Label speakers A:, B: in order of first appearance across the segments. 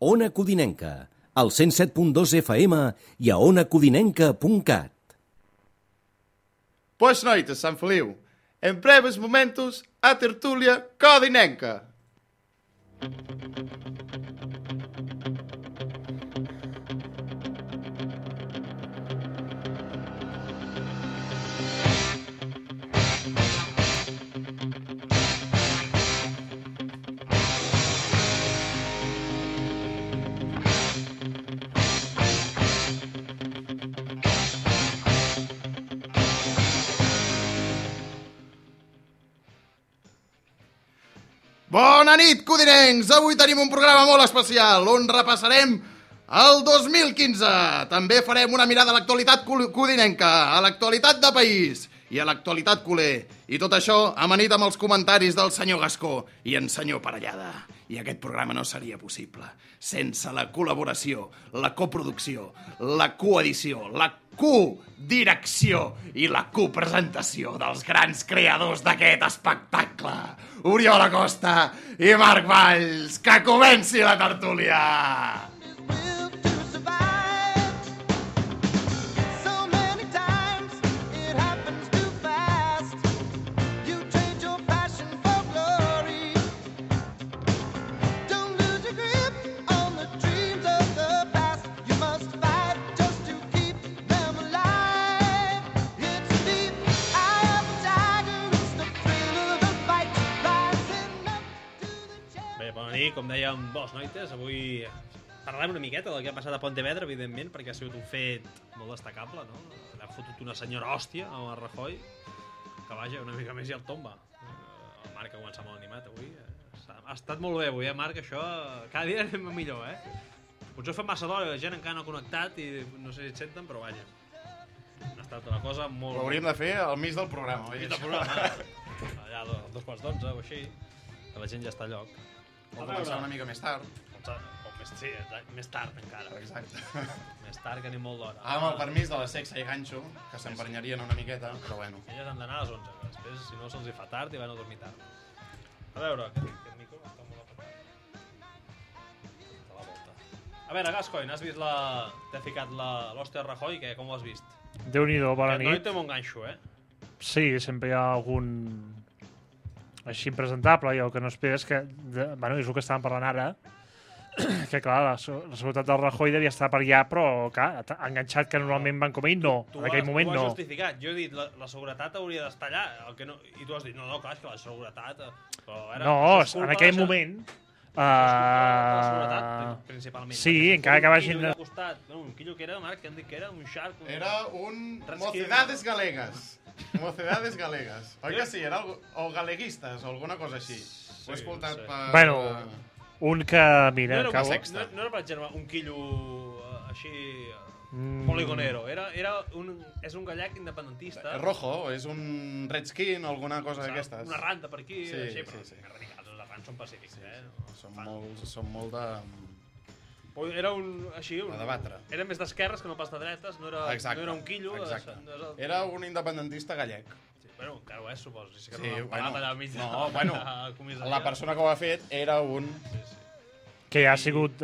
A: Ona Codinenca, al 107.2 FM i a onacodinenca.cat.
B: Pois noites, Sant Feliu. En breves momentos, a tertulia codinenca. Bona nit, codinencs! Avui tenim un programa molt especial on repassarem el 2015. També farem una mirada a l'actualitat codinenca, a l'actualitat de país i a l'actualitat culer. I tot això amanit amb els comentaris del senyor Gascó i en senyor Parellada. I aquest programa no seria possible sense la col·laboració, la coproducció, la coedició, la codirecció i la copresentació dels grans creadors d'aquest espectacle. Oriol Acosta i Marc Valls, que comenci la tertúlia!
C: Com dèiem, bones noites. Avui parlarem una miqueta del que ha passat a Pontevedra, evidentment, perquè ha sigut un fet molt destacable, no? L'ha fotut una senyora hòstia a Rajoy, que vaja, una mica més i el tomba. El Marc ha començat molt animat avui. Ha estat molt bé avui, Marc, això. Cada dia anem millor, Potser fa massa d'hora, la gent encara no ha connectat i no sé si et senten, però vaja. Ha estat una cosa molt...
B: Ho hauríem de fer al mig del programa, oi?
C: Al mig del programa, allà a 2:45 o així, que la gent ja està a lloc.
B: O començar una mica més tard.
C: Sí, més tard encara.
B: Exacte.
C: Més tard, que anem molt d'hora.
B: Amb el permís de la Sexa i Ganxo, que s'emprenyarien una miqueta, però bueno.
C: Elles han d'anar a les 11, que després, si no, se'ls hi fa tard i van a dormir tard. A veure, aquest micro està molt apretat. De la volta. A veure, Gascoigne, has vist t'ha ficat l'hòstia Rajoy, com ho has vist?
D: Déu-n'hi-do, bona nit.
C: No hi té un ganxo,
D: Sí, sempre hi ha algun... així impresentable, i el que no esperes que... Bueno, és el que estàvem parlant ara, que clar, la seguretat del Rajoy devia estar per allà, però clar, enganxat que normalment van com ell, no. En aquell moment no.
C: Tu ho has justificat. Jo he dit, la seguretat hauria d'estar allà, i tu has dit, no, clar, és que la seguretat...
D: No, en aquell moment...
C: La seguretat, principalment.
D: Sí, encara que vagin...
C: Un quillo que era, Marc, que han dit que era un shark...
B: Era un Mocedades Galegues. Mocedades Galegues. Oi que sí? Era o galeguistes o alguna cosa així. Ho he escoltat per...
D: Bueno, un que... Mira,
B: no
C: era, per exemple, un quillo així... poligonero. És un gallec independentista.
B: Rojo, és un redskin o alguna cosa d'aquestes.
C: Una ranta per aquí,
B: així,
C: però radicals, els rants són pacífics,
B: Són molt de...
C: Era un... així...
B: A debatre.
C: Era més d'esquerres que no pas de dretes, no era un quillo...
B: Exacte. Era un independentista gallec.
C: Sí, bueno, encara ho és, suposo.
B: Sí, bueno,
C: no,
B: bueno, la persona que ho ha fet era un...
D: Que ja ha sigut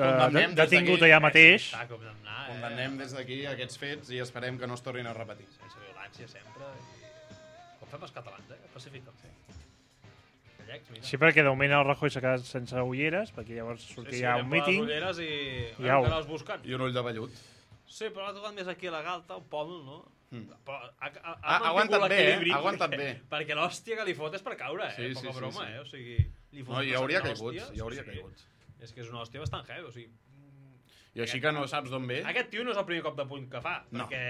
D: detingut allà mateix.
B: Condemnem des d'aquí aquests fets i esperem que no es tornin a repetir.
C: Sense violència sempre. Com fem els catalans, Pacífic.
D: Sí, perquè de moment el Rajoy s'ha quedat sense ulleres, perquè llavors sortia un míting.
C: Sí, ulleres i encara els busquen.
B: I un ull de vellut.
C: Sí, però l'ha tocat més aquí a la galta, un pòmul, no?
B: Però ha aguantat bé.
C: Perquè l'hòstia que li fot és per caure, poca broma, O sigui, li fot
B: hi hauria caigut.
C: És que és una hòstia bastant heavy, o sigui...
B: I així que no saps d'on ve...
C: Aquest tio no és el primer cop de puny que fa, perquè...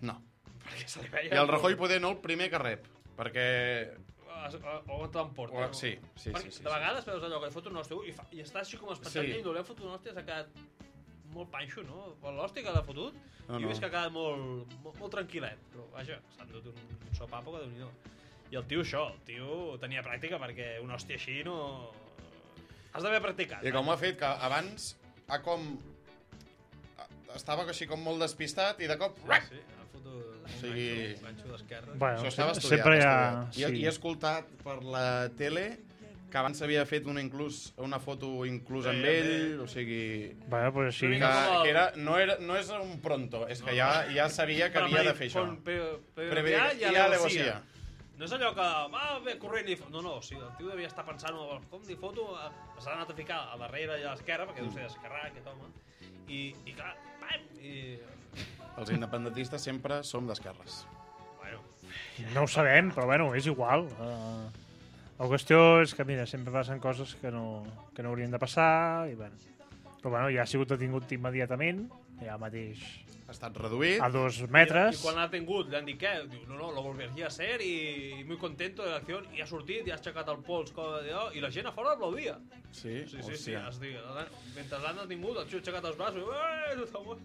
B: No.
C: Perquè se li veia...
B: I el Rajoy poder no el primer que rep, perquè...
C: O on t'emporta.
B: Sí.
C: De vegades veus allò que li fot un hòstia i està així com espantant i no li ha fotut un hòstia, s'ha quedat molt panxo, no? L'hòstia que l'ha fotut, jo he vist que ha quedat molt tranquil·let, però vaja, s'han dut un sopapo que Déu-n'hi-do. I el tio tenia pràctica, perquè un hòstia així no... Has d'haver practicat.
B: I com ho ha fet, que abans estava així com molt despistat i de cop...
C: Sí, ha fotut un ganxo d'esquerra.
D: Bueno,
B: això estava
D: sempre
B: estudiat.
D: Sí.
B: I he escoltat per la tele que abans s'havia fet una foto inclús amb ell, o sigui...
D: Bueno, pues així...
B: Que era, no és un pronto, és que ja sabia que havia de fer això.
C: Preveia i negocia. No és allò que va bé corrent i... No, o sigui, el tio devia estar pensant com li foto, s'ha anat a ficar a darrere i a l'esquerra, perquè deu ser d'esquerrar aquest home, i clar, pam!
B: Els independentistes sempre som d'esquerres.
C: Bueno.
D: No ho sabem, però bueno, és igual. La qüestió és que, mira, sempre passen coses que no haurien de passar, i bueno. Però bueno, ja ha sigut detingut immediatament, ja mateix...
B: Ha estat reduït.
D: A 2 metres.
C: I quan l'ha tingut, li han dit què? Diu, no, lo volvería a hacer y muy contento de l'acció. I ha sortit, i ha aixecat el pols, i la gent a fora aplaudia.
B: Sí?
C: Sí. Mentre l'han detingut, el tio ha aixecat els braços, tothom,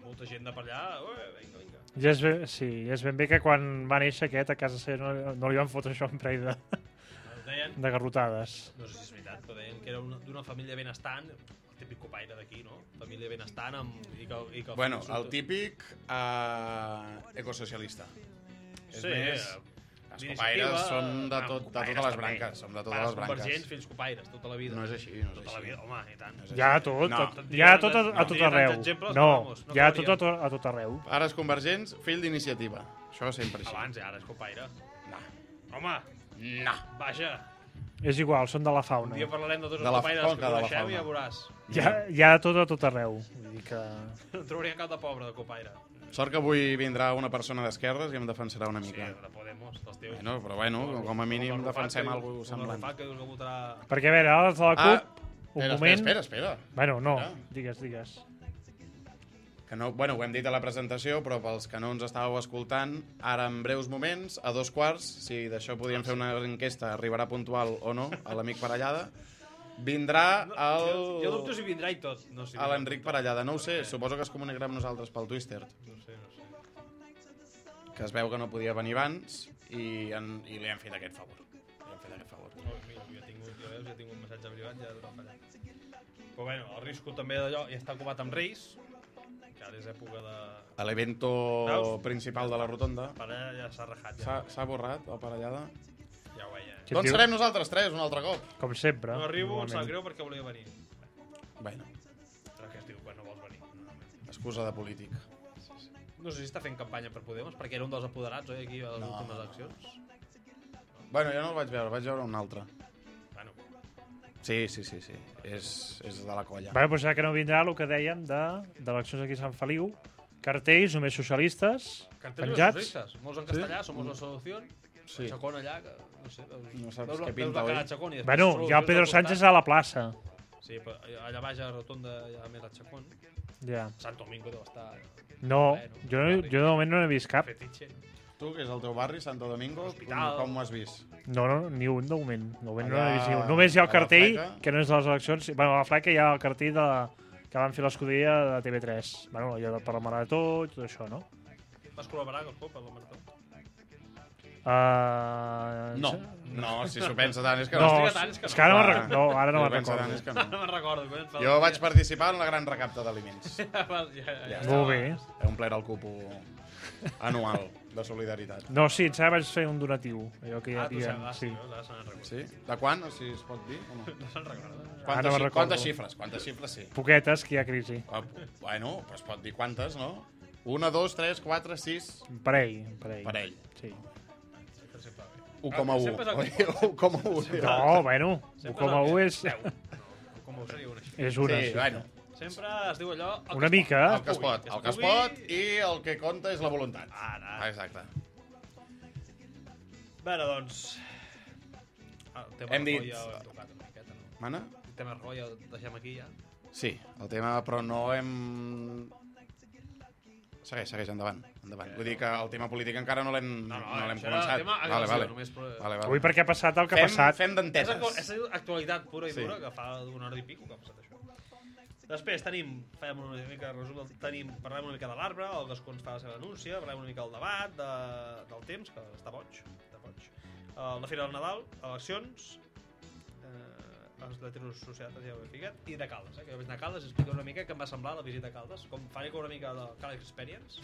C: molta gent de per allà, vinga.
D: Ja és ben bé que quan va néixer aquest, a casa seva no li van fotre això en parell de garrotades.
C: No sé si és veritat, però deien que era d'una família benestant, el típic copaire d'aquí, no? Família benestant
B: Bueno, el típic ecosocialista. És més... Els copaires són de totes les branques. Som de totes les branques.
C: Convergents, fills copaires, tota la vida.
B: No és així,
C: Tota la vida, home, i tant.
D: Hi ha tot a tot arreu. No, hi ha tot a tot arreu.
B: Pares convergents, fill d'iniciativa. Això sempre així.
C: Abans, ara és copaire.
B: No.
C: Home,
B: no.
C: Vaja.
D: És igual, són de la fauna.
C: Un dia parlarem de tots els copaires que coneixeu i ja veuràs.
D: Hi ha tot a tot arreu. Vull dir que...
C: No trobaria cap de pobre de copaire.
B: Sort que avui vindrà una persona d'esquerres i em defensarà una mica.
C: Sí, de Podemos, dels teus.
B: Però com a mínim defensem alguna cosa semblant.
D: Perquè, a veure, ara els de la CUP, un moment...
B: Espera.
D: Bueno, no, digues.
B: Que no, ho hem dit a la presentació, però pels que no ens estàveu escoltant, ara en breus moments, a 2:15, si d'això podíem fer una enquesta, arribarà puntual o no, a l'amic Parellada, vindrà el...
C: Jo dubto si vindrà i tot. No,
B: a l'Enric Parellada. No ho sé, suposo que es comunicarà amb nosaltres pel Twitter.
C: No sé.
B: Que es veu que no podia venir abans i li hem fet aquest favor.
C: Mira, jo he tingut un missatge privat ja d'una fallat. Però bueno, el risco també d'allò, ja està ocupat amb Reis, que ara és època de...
B: A l'evento principal de la rotonda.
C: Ara ja s'ha rajat.
B: S'ha borrat, el Parellada.
C: Ja ho veia.
B: Doncs serem nosaltres tres, un altre cop.
D: Com sempre.
C: No arribo, em sap greu perquè volia venir.
B: Bueno.
C: Però què es diu quan no vols venir?
B: Excusa de polític.
C: No sé si està fent campanya per Podemos, perquè era un dels apoderats, oi, aquí a les últimes eleccions.
B: Bueno, jo no el vaig veure un altre.
C: Bueno.
B: Sí. És de la colla.
D: Bueno, doncs ja que no vindrà el que dèiem d'eleccions aquí a Sant Feliu, cartells només socialistes, penjats.
C: Molts en castellà, Somos la solució.
B: Sí.
C: Chacón allà, que no sé.
B: No saps què pinta, oi?
D: Bueno, hi ha el Pedro Sánchez a la plaça.
C: Sí, però allà baix a la rotonda hi ha més el Chacón.
D: Ja.
C: Sant Domingo deu estar...
D: No, jo de moment no n'he vist cap.
C: Fetiche.
B: Tu, que és el teu barri, Santo Domingo, com ho has vist?
D: No, ni un de moment. De moment no n'he vist ni un. Només hi ha el cartell, que no és de les eleccions. Bueno, a la Fleca hi ha el cartell que van fer l'escuderia de TV3. Bueno, allò per la Marató i tot això, no?
C: Vas col·laborar amb el club per la Marató?
B: No, si s'ho pensa tant és que
D: no.
B: no.
D: És que ara no me'n recordo.
C: No me'n recordo.
B: Jo vaig participar en la gran recapta d'aliments.
D: Molt bé.
B: He omplert el cupo anual de solidaritat.
D: No, sí, em vaig fer un donatiu. Allò que hi havia.
C: Sí.
B: De quan? Si es pot dir?
C: No se'n recorda.
B: Quantes xifres? Quantes xifres, sí.
D: Poquetes, que hi ha crisi.
B: Bueno, es pot dir quantes, no? 1, 2, 3, 4, 6...
D: Parell. Sí.
B: 1,1. 1,1.
D: No, bueno, 1,1 és...
C: 1,1 seria una xifra.
D: És una,
B: sí. Bueno.
C: Sempre es diu allò...
D: Una mica.
B: El que es pot i el que compta és la voluntat.
C: Ara.
B: Exacte.
C: Bé, doncs... El tema Rajoy ja ho hem tocat una miqueta, no?
B: Mana?
C: El tema Rajoy ja el deixem aquí, ja.
B: Sí, el tema, però no hem... Segueix, endavant. Vull dir que el tema polític encara no l'hem començat.
C: Vale.
D: Avui perquè ha passat el que ha passat.
B: Fem d'enteses.
C: És actualitat pura i dura, que fa una hora i pico que ha passat això. Després parlem una mica de l'arbre, el Gascons fa la seva denúncia, parlem una mica del debat, del temps, que està boig. La Fira del Nadal, eleccions, els de Societat, ja ho he ficat, i de Caldes, que jo vaig anar a Caldes i explico una mica què em va semblar la visita a Caldes, com faré una mica de Caldes Experience.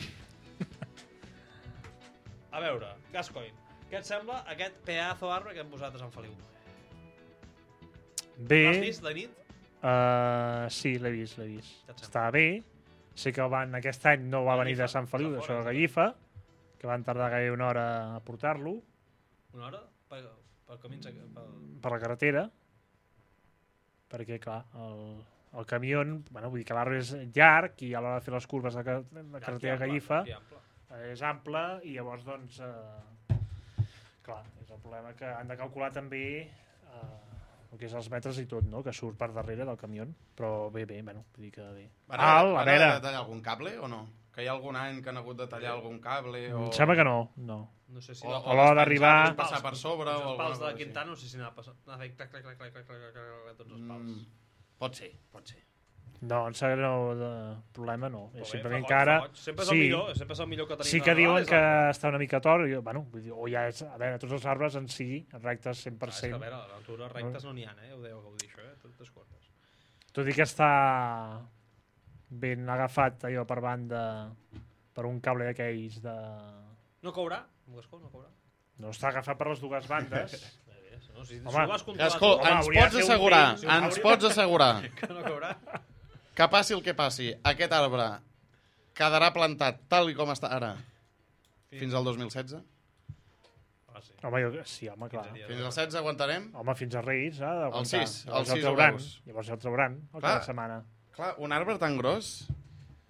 C: A veure, Gascoigne, què et sembla aquest pedazo arbre que hem posat a Sant Feliu?
D: Bé.
C: L'has vist de nit?
D: Sí, l'he vist.
C: Què et sembla?
D: Està bé. Sé que aquest any no va venir de Sant Feliu, d'això de Gallifa, que van tardar gairebé una hora a portar-lo.
C: Una hora? Pel camí...
D: Per la carretera. Perquè, clar, el camió, bueno, vull dir que l'arbre és llarg i a l'hora de fer les curves de la carretera de Gallifa és ample i llavors, doncs, clar, és el problema que han de calcular també el que és els metres i tot, no?, que surt per darrere del camió, però bé, bueno, vull dir que bé.
B: Van haver de tallar algun cable o no? Que hi ha algun any que han hagut de tallar algun cable o...
D: Em sembla que no.
C: No sé si...
D: A l'hora d'arribar...
B: passar per sobre o
C: els pals de
B: alguna cosa
C: Quintana, no sé si anava a fer clac, tots els pals.
B: Pot ser.
D: No, em sembla que no, problema no.
C: Però
D: Simplement
C: bé,
D: que ara...
C: sempre és el millor que tenim.
D: Sí que diuen que està una mica tort, bueno, vull dir, o ja és, a veure, tots els arbres en si, rectes 100%.
C: És que a veure, a l'altura rectes no n'hi ha, ho deu gaudir això, totes cortes.
D: Tot i que està ben agafat allò per banda per un cable d'aquells de...
C: No courà? Gascó, no courà?
D: No està agafat per les dues bandes.
C: No, si
D: Home,
C: ho has controlat
B: Gascó,
C: tu,
B: ens pots assegurar
C: que no courà?
B: que passi el que passi, aquest arbre quedarà plantat tal i com està ara fins al 2016?
C: Sí.
D: Home, sí, home, clar.
B: Fins al 16 aguantarem?
D: Home, fins a Reis,
B: El 6, el 6
D: ho
B: veus.
D: Llavors el trauran, cada setmana.
B: Clar, un arbre tan gros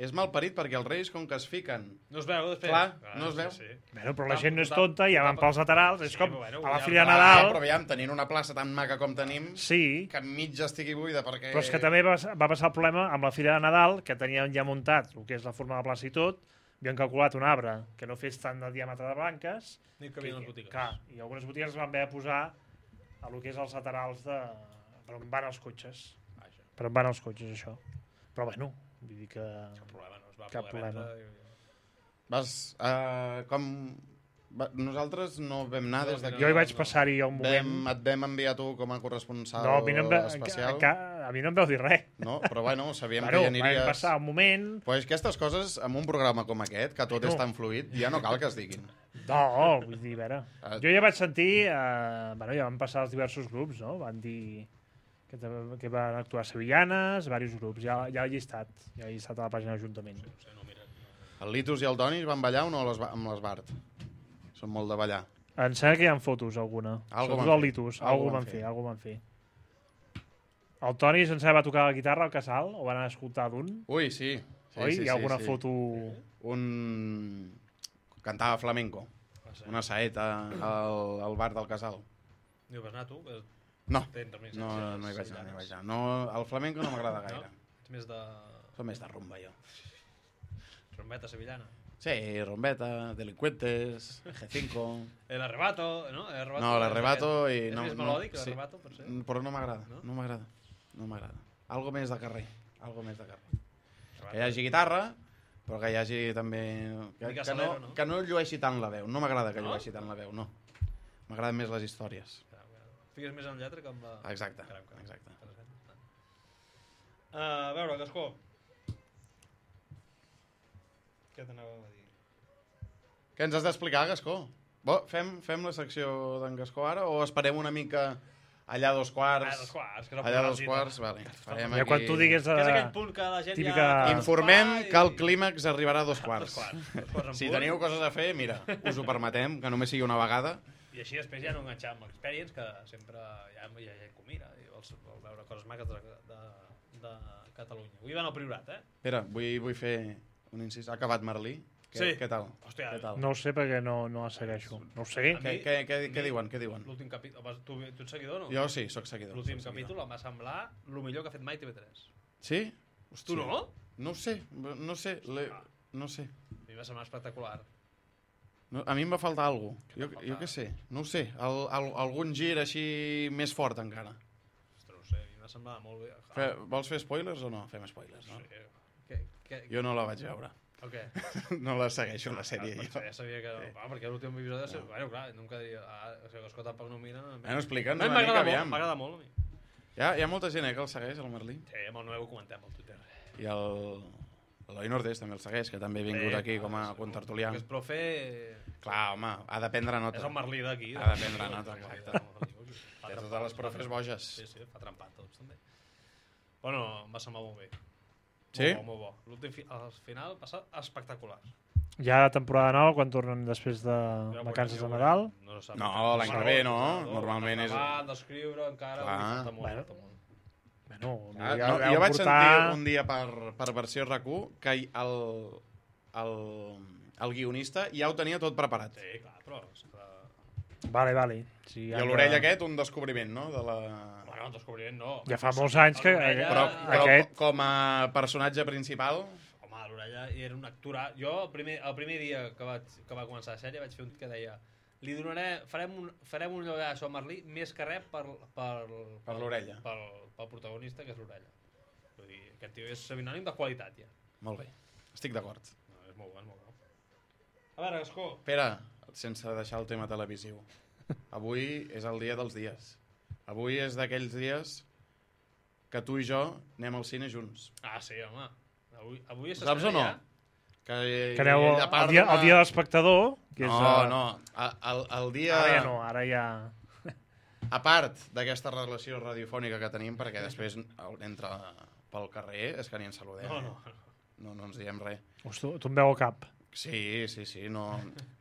B: és malparit perquè els Reis, com que es fiquen...
C: No es veu, després.
B: Clar, no es veu.
C: Sí.
D: Bueno, però la gent no és tonta, ja van pels laterals, és com
C: bueno,
D: a la
C: ja
D: Fira de
C: va,
D: Nadal...
B: Però veiem, tenint una plaça tan maca com tenim,
D: Sí,
B: que mig estigui buida perquè...
D: però és que també va passar el problema amb la Fira de Nadal, que tenien ja muntat el que és la forma de la plaça i tot, havien calculat un arbre que no fes tant de diàmetre de blanques,
C: Ni que havien les botigues.
D: clar, i algunes botigues van haver de posar a lo que és els laterals de... per on van els cotxes. Per on van els cotxes, això. Però bueno, vull dir que...
C: Cap problema, no es va
D: Cap
C: poder
D: problema.
C: vendre.
B: Nosaltres no vam anar des d'aquí.
D: Jo hi vaig passar-hi un moment...
B: Et vam enviar tu com a corresponsal
D: No, a mi no
B: especial.
D: a mi no em veu dir res.
B: No, però bueno, sabíem
D: Bueno,
B: que hi aniries...
D: vam passar un moment...
B: Pues aquestes coses, amb un programa com aquest, que tot és tan fluid, ja no cal que es diguin.
D: No, vull dir, a veure... Jo ja vaig sentir... bueno, ja van passar els diversos grups, no? Van dir que van actuar sevillanes, diversos grups. Ja he llistat a la pàgina de l'Ajuntament.
B: El Litus i el Toni van ballar o no amb l'Esbart? Són molt de ballar.
D: Em sembla que hi ha fotos, alguna.
B: Algo
D: Sobretot
B: van
D: el
B: fer.
D: Litus.
B: Algo
D: Algo
B: van
D: van fer. El Toni, em sembla, va tocar la guitarra al Casal, o van anar a escoltar d'un.
B: Ui, sí.
D: Oi? Hi ha alguna foto...
B: Cantava flamenco. Una saeta al bar del Casal.
C: Hi vas anar tu?
B: No, no hi vaig anar. No, el flamenco no m'agrada gaire.
C: Ets més de...
B: Som més de rumba, jo.
C: Trombeta sevillana.
B: Sí, rombeta, delincuentes, G5...
C: El arrebato, no?
B: No, l'arrebato i...
C: És més melòdic, l'arrebato, per ser?
B: Però no m'agrada, no m'agrada. Algo més de carrer, Que hi hagi guitarra, però que hi hagi també... Que no llueixi tant la veu. No m'agrada que llueixi tant la veu, no. M'agraden més les històries.
C: Figues més en lletra que amb la...
B: Exacte.
C: A veure, Gascó. Què t'anava a dir?
B: Què ens has d'explicar, Gascó? Fem la secció d'en Gascó ara o esperem una mica allà a 2:15?
C: Que no
B: allà a 2:15, vale.
D: Ja quan tu digues...
C: Que és aquell punt que la gent
D: típica...
C: ja...
B: Informem que el clímax arribarà a 2:15. Si teniu coses a fer, mira, us ho permetem, que només sigui una vegada.
C: I així després ja no enganxar amb l'Experience, que sempre hi ha gent que ho mira i vol veure coses maques de Catalunya. Avui van al Priorat,
B: Espera, vull fer un incís. Ha acabat Merlí? Què tal?
C: Hòstia,
D: No ho sé perquè no la segueixo. No ho sé.
B: Què diuen?
C: L'últim capítol... Tu ets seguidor o no?
B: Jo sí, sóc seguidor.
C: L'últim capítol em va semblar el millor que ha fet mai TV3.
B: Sí?
C: Tu no?
B: No ho sé. No sé.
C: A mi va semblar espectacular.
B: A mi em va faltar alguna cosa. Jo què sé. No ho sé. Algun gir així més fort encara.
C: Ostres, no sé. A mi em va semblar molt bé.
B: Vols fer spoilers o no? Fem spoilers, no?
C: Sí.
B: Jo no la vaig veure.
C: O què?
B: No la segueixo, la sèrie.
C: Ja sabia que... perquè l'últim episodi... Bueno, clar, nunca diria... Gascó tampoc no mira...
B: Bueno, explica'ns
C: una
B: mica, aviam.
C: M'agrada molt, a mi.
B: Hi ha molta gent que el segueix, el Merlí.
C: Sí, amb el Noé ho comentem al Twitter.
B: I l'Eloi Nordés també el segueix, que també ha vingut aquí com a contertulià.
C: Que és profe...
B: Clar, home, ha de prendre nota.
C: És el Merlí d'aquí.
B: Ha de prendre nota, exacte. Té totes les profes boges.
C: Sí, fa trempat tots, també. Bueno, em va semblar molt bé.
B: Sí?
C: Molt bo. Al final va ser espectacular.
D: Ja temporada nova, quan tornen després de vacances de Nadal.
C: No,
B: l'any que ve, no? Normalment és...
C: D'escriure encara, falta molt.
D: Bueno,
B: jo vaig sentir un dia per versió RAC1 que el guionista ja ho tenia tot preparat.
C: Sí, clar, però...
D: Vale. Sí,
B: I a l'orella aquest, un descobriment, no?
C: Bueno, un descobriment no.
D: Ja fa molts anys que...
B: Però com a personatge principal...
C: Home, a l'orella era un actorat. Jo, el primer dia que va començar la sèrie, vaig fer un que deia li donaré, farem un llogar a Merlí més que res per
B: l'orella.
C: Pel protagonista, que és l'orella. Vull dir, aquest tio és sinònim de qualitat, ja.
B: Molt bé, estic d'acord.
C: No, és molt bo. A veure, Gascó.
B: Espera, sense deixar el tema televisiu. Avui és el dia dels dies. Avui és d'aquells dies que tu i jo anem al cine junts.
C: Ah, sí, home. Avui és
B: saps o no?
C: ja.
D: Que aneu el dia de l'espectador, que és...
B: No, el dia...
D: Ara ja...
B: A part d'aquesta relació radiofònica que tenim, perquè després entra pel carrer, és que ni ens saludem. No ens diem res.
D: Hosti, tu em veu al cap.
B: Sí, no...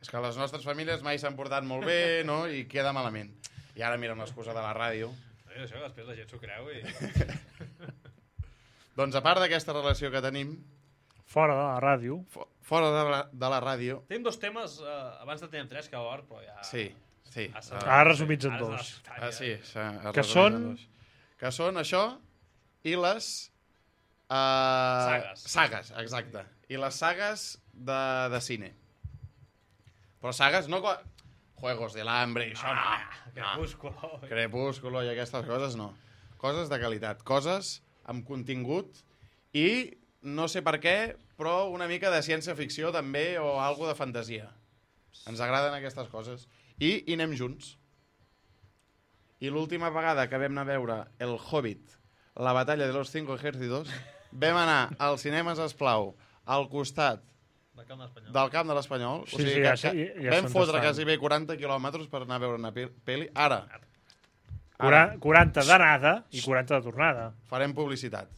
B: És que les nostres famílies mai s'han portat molt bé, no? I queda malament. I ara mira l'excusa de la ràdio.
C: Això, després la gent s'ho creu i...
B: Doncs a part d'aquesta relació que tenim...
D: Fora de la ràdio.
B: Fora de la ràdio...
C: Tenim dos temes, abans en teníem tres, que llavors, però ja...
B: Sí.
D: Ara resumits en dos.
B: Sí,
D: que són...
B: Que són això i les... Sagues, exacte. I les sagues de cine. Però sagues no... Juegos del Hambre i això no. Crepúsculo i aquestes coses no. Coses de qualitat. Coses amb contingut i no sé per què, però una mica de ciència-ficció també o algo de fantasia. Ens agraden aquestes coses. I anem junts. I l'última vegada que vam anar a veure El Hobbit, la batalla de los 5 ejércitos, vam anar als cinemes Esplau, al costat del Camp de l'Espanyol. O sigui que vam fotre quasi bé 40 quilòmetres per anar a veure una pel·li. Ara.
D: 40 d'anada i 40 de tornada.
B: Farem publicitat.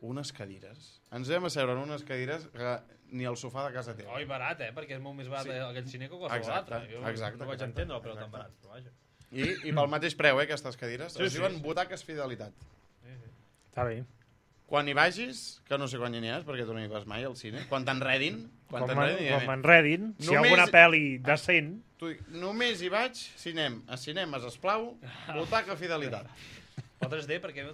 B: Unes cadires. Ens vam asseure en unes cadires que ni el sofà de casa teva.
C: I barat, perquè és molt més barat aquell cine que qualsevol altre.
B: Exacte.
C: No vaig entendre el preu tan barat, però vaja.
B: I pel mateix preu, aquestes cadires. Es diuen butaques fidelitat.
D: Està bé.
B: Quan hi vagis, que no sé quan hi aniràs, perquè tu no hi vas mai al cine, quan t'enredin...
D: Quan m'enredin, si hi ha alguna pel·li decent...
B: Només hi vaig, a cinemes Esplau, butaca fidelitat.
C: O 3D, perquè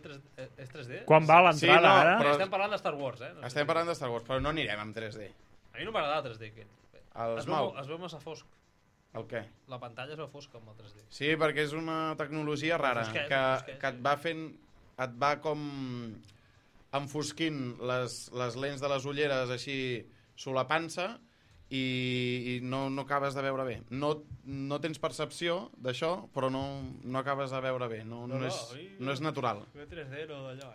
C: és 3D?
D: Quan va l'entrada, ara?
C: Però estem parlant de Star Wars,
B: Estem parlant de Star Wars, però no anirem amb 3D.
C: A mi no m'agrada el 3D. Es veu massa fosc.
B: El què?
C: La pantalla es veu fosca amb el 3D.
B: Sí, perquè és una tecnologia rara, que et va fent... Et va com enfosquint les lents de les ulleres així solapant-se i no acabes de veure bé. No tens percepció d'això, però no acabes de veure bé. No és natural.
C: 3D no d'allò,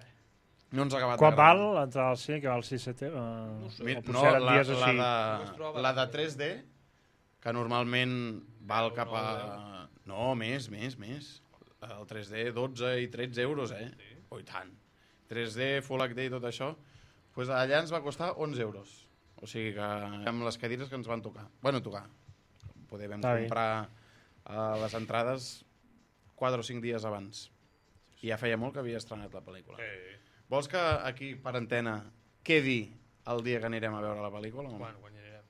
B: No ens ha acabat
D: Quan val l'entrada al cine, que val 6-7?
B: La de 3D, que normalment val cap a... No, més. El 3D, 12 i 13 euros, Oh, i tant. 3D, Full HD i tot això, doncs allà ens va costar 11 euros. O sigui que amb les cadires que ens van tocar. Poder vam comprar les entrades 4 o 5 dies abans. I ja feia molt que havia estrenat la pel·lícula. Vols que aquí, per antena, quedi el dia que anirem a veure la pel·lícula?
C: Quan anirem?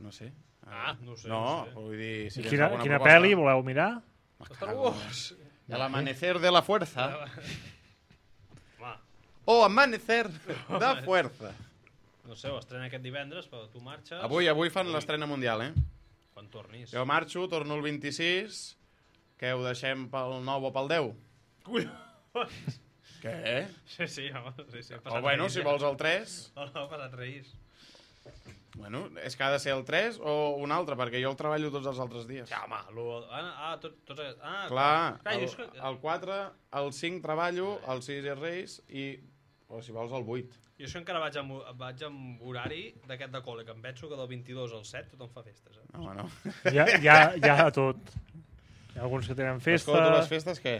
B: No sé.
C: No sé.
B: No, vull dir... Si
D: quina pel·li voleu mirar?
C: Star Wars.
B: El amanecer de la fuerza. O amanecer de fuerza.
C: No sé, ho estrena aquest divendres, però tu marxes...
B: Avui fan l'estrena mundial,
C: Quan tornis.
B: Jo marxo, torno el 26, que ho deixem pel 9 o pel 10. Què?
C: Sí, home.
B: O bueno, si vols el 3...
C: No, passat Reis.
B: Bueno, és que ha de ser el 3 o un altre, perquè jo el treballo tots els altres dies.
C: Ja, home, tots...
B: Clar, el 4, el 5 treballo, el 6 és Reis i... O si vols el 8.
C: Jo això encara vaig amb horari d'aquest de col·le, que em penso que del 22 al 7 tothom fa festes.
B: No.
D: Ja de tot. Hi ha alguns que tenen
B: Escolta, tu les
D: festa.
B: festes què?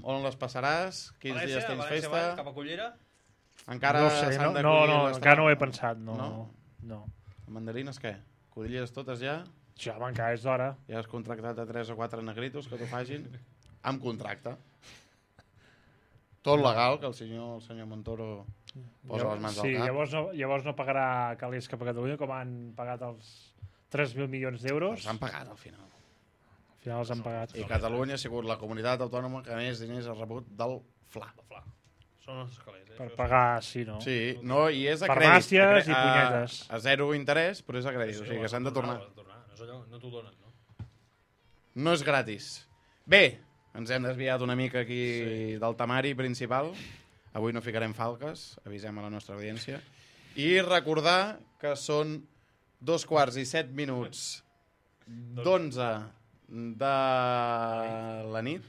B: On les passaràs? Quins dies tens
C: València,
B: festa?
C: cap a Cullera.
B: Encara
D: No sé,
B: s'han de
D: no,
B: collir les
D: encara no ho he
B: tames?
D: pensat, no.
B: Mandarines què? Codilleres totes ja?
D: Ja, encara és d'hora.
B: Ja has contractat a 3 o 4 negritos que t'ho facin? Amb contracte. Tot legal, que el senyor Montoro posa les mans al cap.
D: Llavors no pagarà calés cap a Catalunya, com han pagat els 3.000 milions d'euros.
B: Els han pagat al final.
D: Al final els han pagat.
B: I Catalunya ha sigut la comunitat autònoma que més diners ha rebut del FLA.
C: Són els calés,
D: Per pagar, sí, no?
B: Sí, no, i és a crèdit.
D: Farmàcies i punyetes.
B: A zero interès, però és a crèdit, o sigui que s'han de tornar.
C: No t'ho donen, no?
B: No és gratis. Bé, ens hem desviat una mica aquí del temari principal. Avui no ficarem falques, avisem a la nostra audiència. I recordar que són 2:07 d'11 de la nit.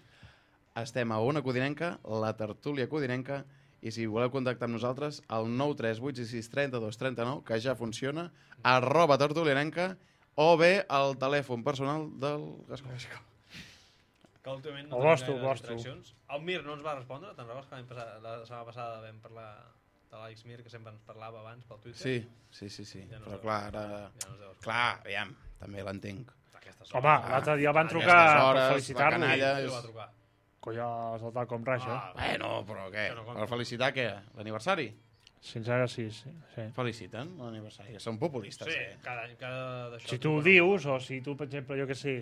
B: Estem a Ona Codinenca, la tertúlia codinenca, i si voleu contactar amb nosaltres, el 938663239, que ja funciona, @tertulianenca, o bé el telèfon personal del Gascó.
C: Que últimament
D: O
C: no
D: vostre,
C: tenim gaire
D: vostre.
C: distraccions. El Mir no ens va respondre, te'n recordes que la setmana passada vam parlar de l'Àlex Mir, que sempre ens parlava abans pel Twitter?
B: Sí.
C: Ja no
B: Però
C: sé.
B: clar, ara...
C: Ja no ens deu respondre.
B: Clar, aviam, també l'entenc.
C: Aquestes
D: Home, l'altre dia el van
B: a
D: trucar
B: aquestes
D: per
B: hores, la
D: felicitar-lo.
B: canalla
C: Qui
B: és...
C: el va trucar?
D: Colla, els del Talcom Raja.
B: Bueno, però què?
C: Que no compta.
B: Per felicitar què? L'aniversari?
D: Sincera, sí.
B: Feliciten l'aniversari. Són populistes,
C: Sí,
B: eh?
C: cada d'això.
D: Si tu ho dius, o si tu, per exemple, jo què sé,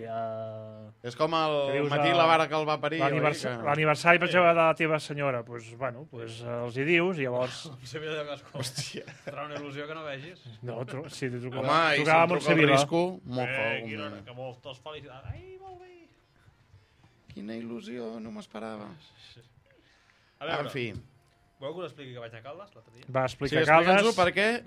B: És com el
D: Que dius,
B: Matí la vara que el va parir. oi?
D: l'aniversari, per exemple, de la teva senyora, doncs, bueno, els hi dius, i llavors...
C: Sabia de Gascó.
B: Hòstia.
C: Serà una il·lusió que no vegis.
D: No, sí, t'hi
B: Home,
D: trucava
B: i si
D: a
B: em truca el
D: Montsevila.
B: risco, mojo.
C: Que moltes felicitats. Ai, molt bé.
B: Quina il·lusió, no m'esperava.
C: A veure,
B: En fi.
C: voleu que us expliqui que vaig anar a Caldes l'altre dia?
D: Va
B: Sí,
D: explicar
B: explica'ns-ho
D: Caldes.
B: perquè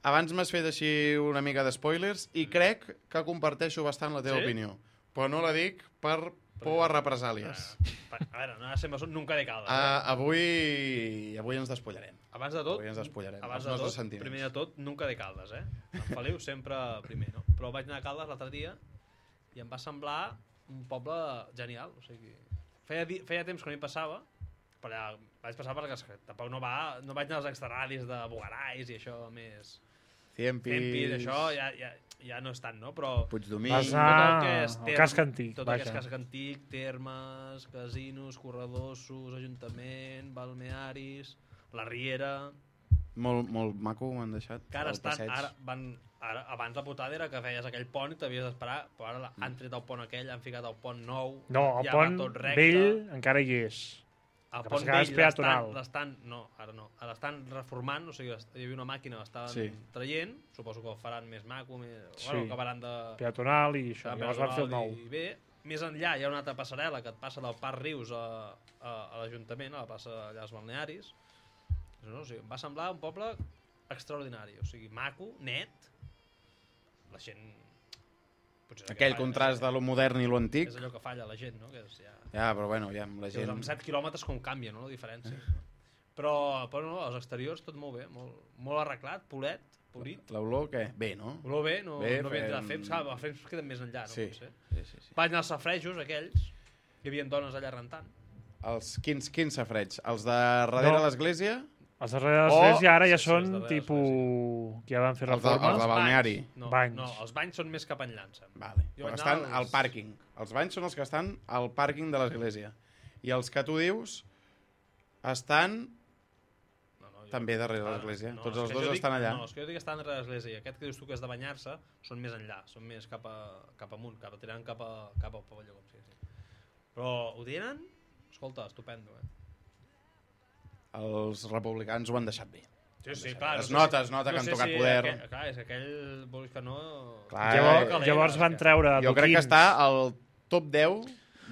B: abans m'has fet així una mica de spoilers i crec que comparteixo bastant la teva
C: Sí?
B: opinió. Però no la dic per por a represàlies.
C: A veure, no sempre són nunca de Caldes.
B: Avui ens despullarem.
C: Abans de tot,
B: Avui ens despullarem.
C: abans
B: els
C: de
B: nostres
C: tot,
B: sentiments.
C: primer de tot, nunca de Caldes, eh? En Feliu sempre primer, no? Però vaig anar a Caldes l'altre dia i em va semblar un poble genial. O sigui, feia temps que no hi passava, però allà vaig passar perquè tampoc no vaig anar als extraradis de Bugarais i això més... Ciempis, això ja no és tant, no? Però
B: Puigdomí.
D: Vas
C: tot
D: anar
C: el que és
D: al casc antic,
C: tot el que és
D: vaja.
C: casc antic, termes, casinos, corredossos, ajuntament, balnearis, la Riera...
B: Molt maco m'han deixat.
C: Que ara
B: el
C: estan,
B: passeig.
C: ara, abans la putada era que feies aquell pont i t'havies d'esperar, però ara han tret el pont aquell, han ficat el pont nou,
D: No, el
C: ja va
D: pont
C: tot recte.
D: vell encara hi és.
C: El
D: que
C: pont
D: passa que ara és
C: vell
D: peatonal.
C: no, ara no, ara l'estan reformant, o sigui, hi havia una màquina, l'estaven
B: Sí.
C: traient, suposo que el faran més maco, bueno,
D: Sí.
C: acabaran de...
D: Peatonal i això.
C: Acabaran
D: Llavors van fer el nou.
C: I bé, més enllà hi ha una altra passarel·la que et passa del Parc Rius a l'Ajuntament, a la plaça allà als balnearis. No, o sigui, em va semblar un poble extraordinari, o sigui, maco, net, la gent... potser és el que
B: Aquell
C: falla,
B: contrast de lo modern i lo antic.
C: És allò que falla la gent, no? Que és ja...
B: Ja, però bueno, ja amb la
C: Gent...
B: gent...
C: Amb 7 quilòmetres com canvia, no?, la diferència. Però no, els exteriors tot molt bé, molt arreglat, polit.
B: L'olor, què? Bé, no?
C: Olor bé, no
B: Bé,
C: havia entrat a
B: fem-
C: Fems, clar, a Fems queden més enllà, no?
B: Sí.
C: Potser.
B: Sí.
C: Vaig anar als safrejos, aquells, hi havia dones allà rentant.
B: Quins safreig? Els de darrere
D: No.
B: l'església?
D: Els darrere de l'església ara ja
C: sí,
D: són
C: els darrere de
D: tipus... que ja van fer
B: Els de
D: reformes.
B: balneari.
C: No,
D: Banys.
C: no, els banys són més cap enllà, em sembla.
B: Vale.
C: Jo
B: Però
C: vaig
B: estan
C: anar
B: al
C: als-
B: pàrquing. Els banys són els que estan al pàrquing de l'església. I els que tu dius estan
C: No, jo-
B: també darrere
C: Clar,
B: l'església.
C: no,
B: Tots
C: és
B: els
C: que
B: dos
C: jo
B: estan allà.
C: No, els que jo dic que estan darrere l'església i aquest que dius tu que és de banyar-se són més enllà, són més cap amunt, tirant cap al pavelló, com sigui. Però ho tenen? Escolta, estupendo, eh?
B: Els republicans ho han deixat bé.
C: Sí, clar.
B: Es nota que han tocat poder.
C: Clar, és que aquell, vols que no...
B: Clar,
D: Llavors van treure
B: Jo crec que
D: Duquins.
B: està al top 10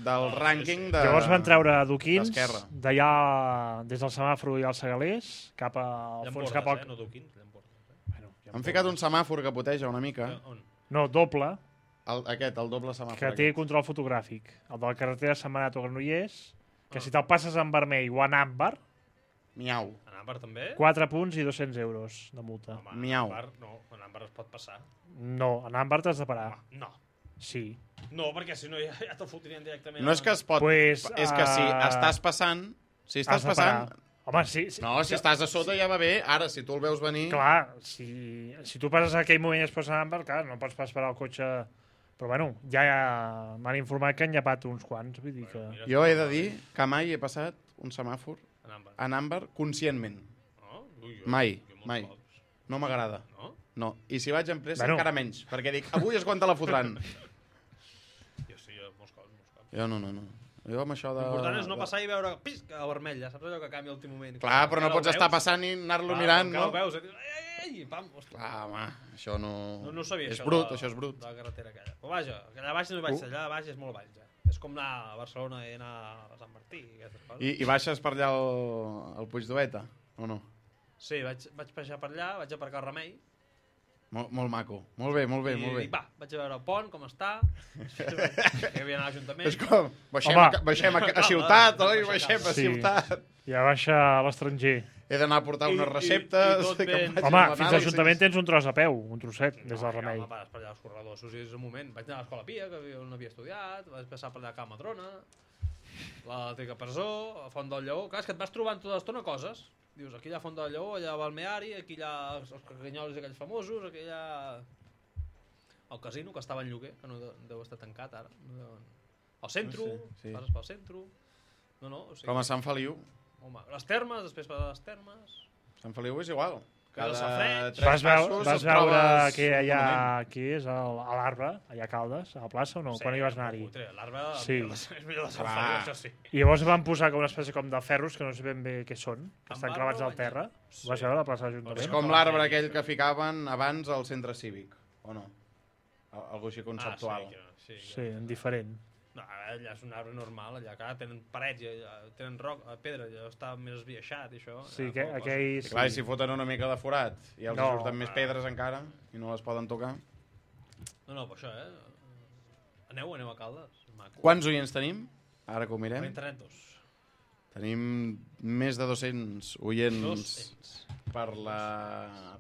B: del rànquing de...
D: Llavors van treure Duquins
B: d'Esquerra.
D: d'allà, des del semàfor i als Segalers, cap al fons, cap al...
C: no Duquins, Llamportes.
D: Bueno,
B: Han ficat un semàfor que puteja una mica.
C: On?
D: No, doble,
B: El doble semàfor.
D: que té control fotogràfic. El de la carretera de Sant Manat o Granollers, que si te'l passes en vermell o en àmbar,
B: Miau.
C: En Àmbar també?
D: 4 punts i 200 euros de multa.
C: Home,
B: Miau.
C: En Àmbar, no, en Àmbar es pot passar.
D: No, en àmbar t'has de parar.
C: No.
D: Sí.
C: No, perquè si no ja te'l fotrien directament.
B: No és que es pot...
D: Pues,
B: és que si estàs passant... Si estàs
D: has de
B: passant...
D: parar. Home, sí.
B: No, si estàs a sota ja va bé. Ara, si tu el veus venir...
D: Clar, si tu passes a aquell moment i es posa en clar, no pots pas parar el cotxe... Però bueno, ja m'han informat que han llepat uns quants, vull dir que...
B: Jo he de dir que mai he passat un semàfor en àmbar conscientment.
C: No? Ui,
B: Mai,
C: jo
B: mai.
C: molts cops.
B: No m'agrada.
C: No?
B: No. I si vaig en pressa,
D: Bueno.
B: encara menys. Perquè dic, avui és quan te la fotran.
C: Jo sí, molts cops.
B: Jo no. Jo amb això de...
C: L'important és no passar i veure pisc a vermell, ja saps allò que canvia a l'últim moment.
B: Clar, però no
C: Encara
B: pots
C: ho
B: estar
C: veus?
B: passant i anar-lo
C: Clar,
B: mirant,
C: encara
B: no?
C: ho veus, i pam, ostres.
B: Clar, home, això no...
C: No sabia
B: és
C: això.
B: brut, això és brut.
C: De la carretera aquella. Però vaja, allà baix no hi vaig ser, allà baix és molt baix, ja. És com anar a Barcelona i anar a Sant Martí i aquestes coses.
B: I baixes per allà al Puig d'Oveta, o no?
C: Sí, vaig passejar per allà, vaig aparcar al Remei.
B: Molt maco. Molt bé.
C: I dic, va, vaig a veure el pont, com està. Que havia anat a l'Ajuntament.
B: És com,
D: Home.
B: baixem a ciutat, oi?
C: Baixem
B: Baixem a
D: Sí.
B: ciutat.
D: Ja baixa a l'estranger.
B: He d'anar a portar unes
C: I
B: receptes.
C: tot
B: que
C: ben-
B: em facin
D: Home, fins a
B: l'anàlisi.
D: l'Ajuntament tens un tros a peu, un trosset, des del Remei.
C: Home, vas per allà als corredors, és un moment. Vaig anar a l'Escola Pia, on havia estudiat, vaig passar per allà a Can Madrona, l'Antiga Presó, a Font del Lleó. Clar, és que et vas trobant tota l'estona coses. Dius, aquí hi ha Font del Lleó, allà a Balmeari, aquí hi ha els cacanyols aquells famosos, aquí hi ha el casino, que estava en lloguer, que no deu estar tancat ara. El centro,
B: Sí.
C: passes pel centro. No, o sigui...
B: Com a Sant Feliu.
C: Home, les termes, després per les termes...
B: Sant Feliu és igual.
C: Cada
B: Cada
C: safareig.
B: 3 passos
D: Vas
B: et
D: veure
B: trobes
D: que
B: un
D: allà,
B: monument.
D: aquí és a l'Arbre, allà a Caldes, a la plaça o no? Quan hi vas anar-hi?
C: L'arbre
D: Sí.
C: és millor de Sant
B: Clar.
C: Feliu, això sí.
D: I llavors van posar com una espècie com de ferros que no sé ben bé què són, que
C: Amb
D: estan
C: arbre
D: clavats
C: o
D: al terra.
C: Sí.
D: Ho vas veure a la plaça de
B: És
D: l'Ajuntament?
B: com l'arbre aquell que ficaven abans al centre cívic, o no? Algo així conceptual.
C: Sí,
D: Sí, diferent.
C: No, allà és un arbre normal, allà que tenen parets, allà, tenen pedra, allà està més esbiaixat i això.
D: Sí,
C: allà fa poca
D: aquell...
B: I clar, i si foten una mica de forat i els
D: No.
B: surten més pedres encara i no les poden tocar.
C: cosa. No, però això, Aneu a Caldes. Maco.
B: Quants oients tenim? Ara que ho
C: Per
B: mirem.
C: internet, dos.
B: Tenim més de 200 oients
C: 200.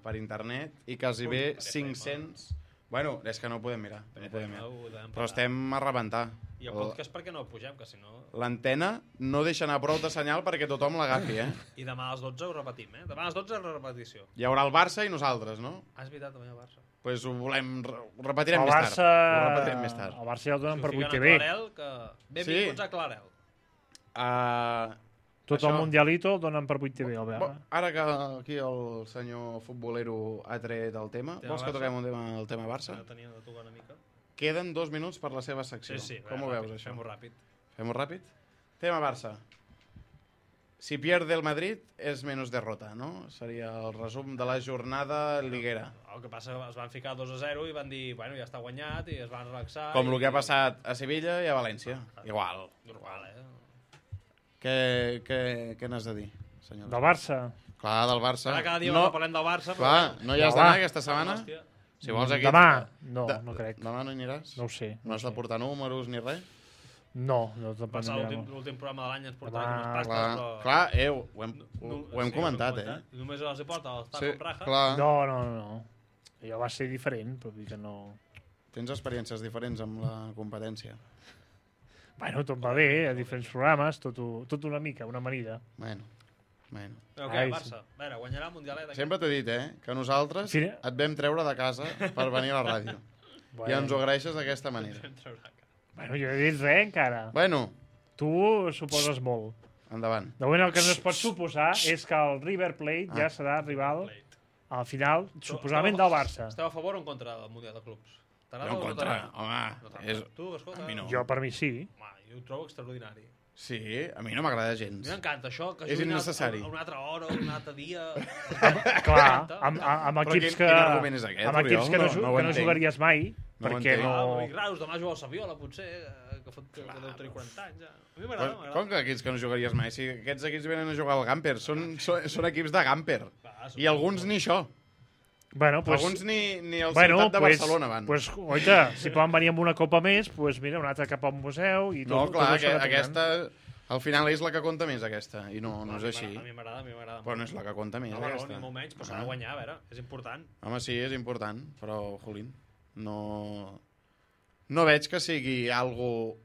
B: per internet i quasi bé 500... Bueno, és que no ho podem mirar. No ho podem mirar. Però estem a rebentar.
C: I el podcast perquè no el pugem, que si no...
B: L'antena no deixa anar prou de senyal perquè tothom l'agafi, eh?
C: I demà a les 12 ho repetim, Demà a les 12 la repetició.
B: Hi haurà el Barça i nosaltres, no?
C: Ah, és veritat, també el Barça.
B: Pues ho volem... Ho repetirem
D: El
B: més
D: Barça...
B: tard. Ho repetirem més tard.
D: El Barça ja el donen per
C: Si ho
D: 8
C: fiquen a
D: TV.
C: Clarel, que... Benvinguts a Clarel.
D: Tot
B: això-
D: el Mundialito el donen per 8 TV, el
B: Bo,
D: veure.
B: ara que aquí el senyor futbolero ha tret el tema,
C: Tema
B: vols que
C: Barça?
B: toquem el tema Barça?
C: Ja tenia de tocar una mica.
B: Queden 2 minuts per la seva secció.
C: Sí,
B: Com ho veus, això?
C: Fem-ho ràpid.
B: Fem-ho ràpid? Tema Barça. Si pierde el Madrid és menys derrota, no? Seria el resum de la jornada liguera.
C: El que passa que es van ficar 2-0 i van dir, bueno, ja està guanyat, i es van relaxar.
B: Com el que ha passat a Sevilla i a València. Igual.
C: Normal,
B: Què n'has de dir, senyor?
D: Del Barça.
B: Clar, del Barça.
C: Ara cada dia
B: no,
C: parlem del Barça,
B: clar, no hi has
D: No,
B: d'anar
D: va.
B: aquesta setmana?
C: Hòstia.
B: Si vols aquí...
D: Demà? No, no crec.
B: Demà no hi aniràs?
D: No ho sé.
B: No has de portar números ni res?
D: No, no te'n
C: Pensar
D: prendrem.
C: l'últim programa de l'any ens portava
D: Demà-
C: unes pastes,
B: Clar,
C: però...
B: clar, ho hem comentat, eh?
C: Només els hi porta els
B: Sí,
C: tacos raja.
B: clar.
D: No. Allò va ser diferent, però vull dir que no...
B: Tens experiències diferents amb la competència.
D: Bueno, tot va bé, a diferents programes, tot una mica, una amanida.
B: Bueno.
C: Però què,
D: Ai,
C: Barça? A veure, guanyarà el Mundialet. aquest?
B: Sempre t'he dit, que nosaltres
D: Sí.
B: et vam treure de casa per venir a la ràdio. I ens ho agraeixes d'aquesta manera.
D: Bueno, jo he dit res encara.
B: Bueno,
D: Tu suposes molt.
B: endavant.
D: De moment el que no es pot suposar és que el River Plate ja serà rival al final, suposadament del Barça.
C: Esteu a favor o en contra del Mundial de Clubs? T'agrada
B: Jo en
C: o no
B: contra,
C: t'agrada?
B: home.
C: No t'agrada.
B: És...
C: Tu, escolta...
B: a mi no.
D: Jo, per mi, sí.
C: Home, jo ho trobo extraordinari.
B: Sí, a mi no m'agrada
C: A
B: gens.
C: mi m'encanta això, que
B: És
C: juguin
B: innecessari.
C: a una altra hora, a un altre dia...
D: Clar, amb
B: Però
D: equips
B: quin argument és aquest,
D: amb equips que
B: Oriol?
D: que
B: No ho
D: no
B: entenc.
D: jugaries mai,
B: No ho
D: perquè
B: entenc.
D: no...
C: I raus, demà juga el Saviola, potser, que deu tenir 40 anys, ja. A mi
B: Però,
C: m'agrada,
B: com que equips que no jugaries mai? Si aquests equips venen a jugar al Gamper, són equips de Gamper. I alguns ni això.
D: Bueno, pues,
B: Alguns ni el
D: bueno,
B: Ciutat de
D: pues,
B: Barcelona van.
D: Pues, oita, si poden venir amb una copa més, pues mira, una altra cap al museu i tot,
B: No, clar,
D: tot això que tenen.
B: aquesta... Al final és la que compta més, aquesta. I no és així.
C: A mi m'agrada,
B: Però no és la que compta més,
C: No, no,
B: aquesta.
C: ni molt menys, però s'ha de guanyar, a veure, és important.
B: Home, sí, és important, però, jolín, no... no veig que sigui algo...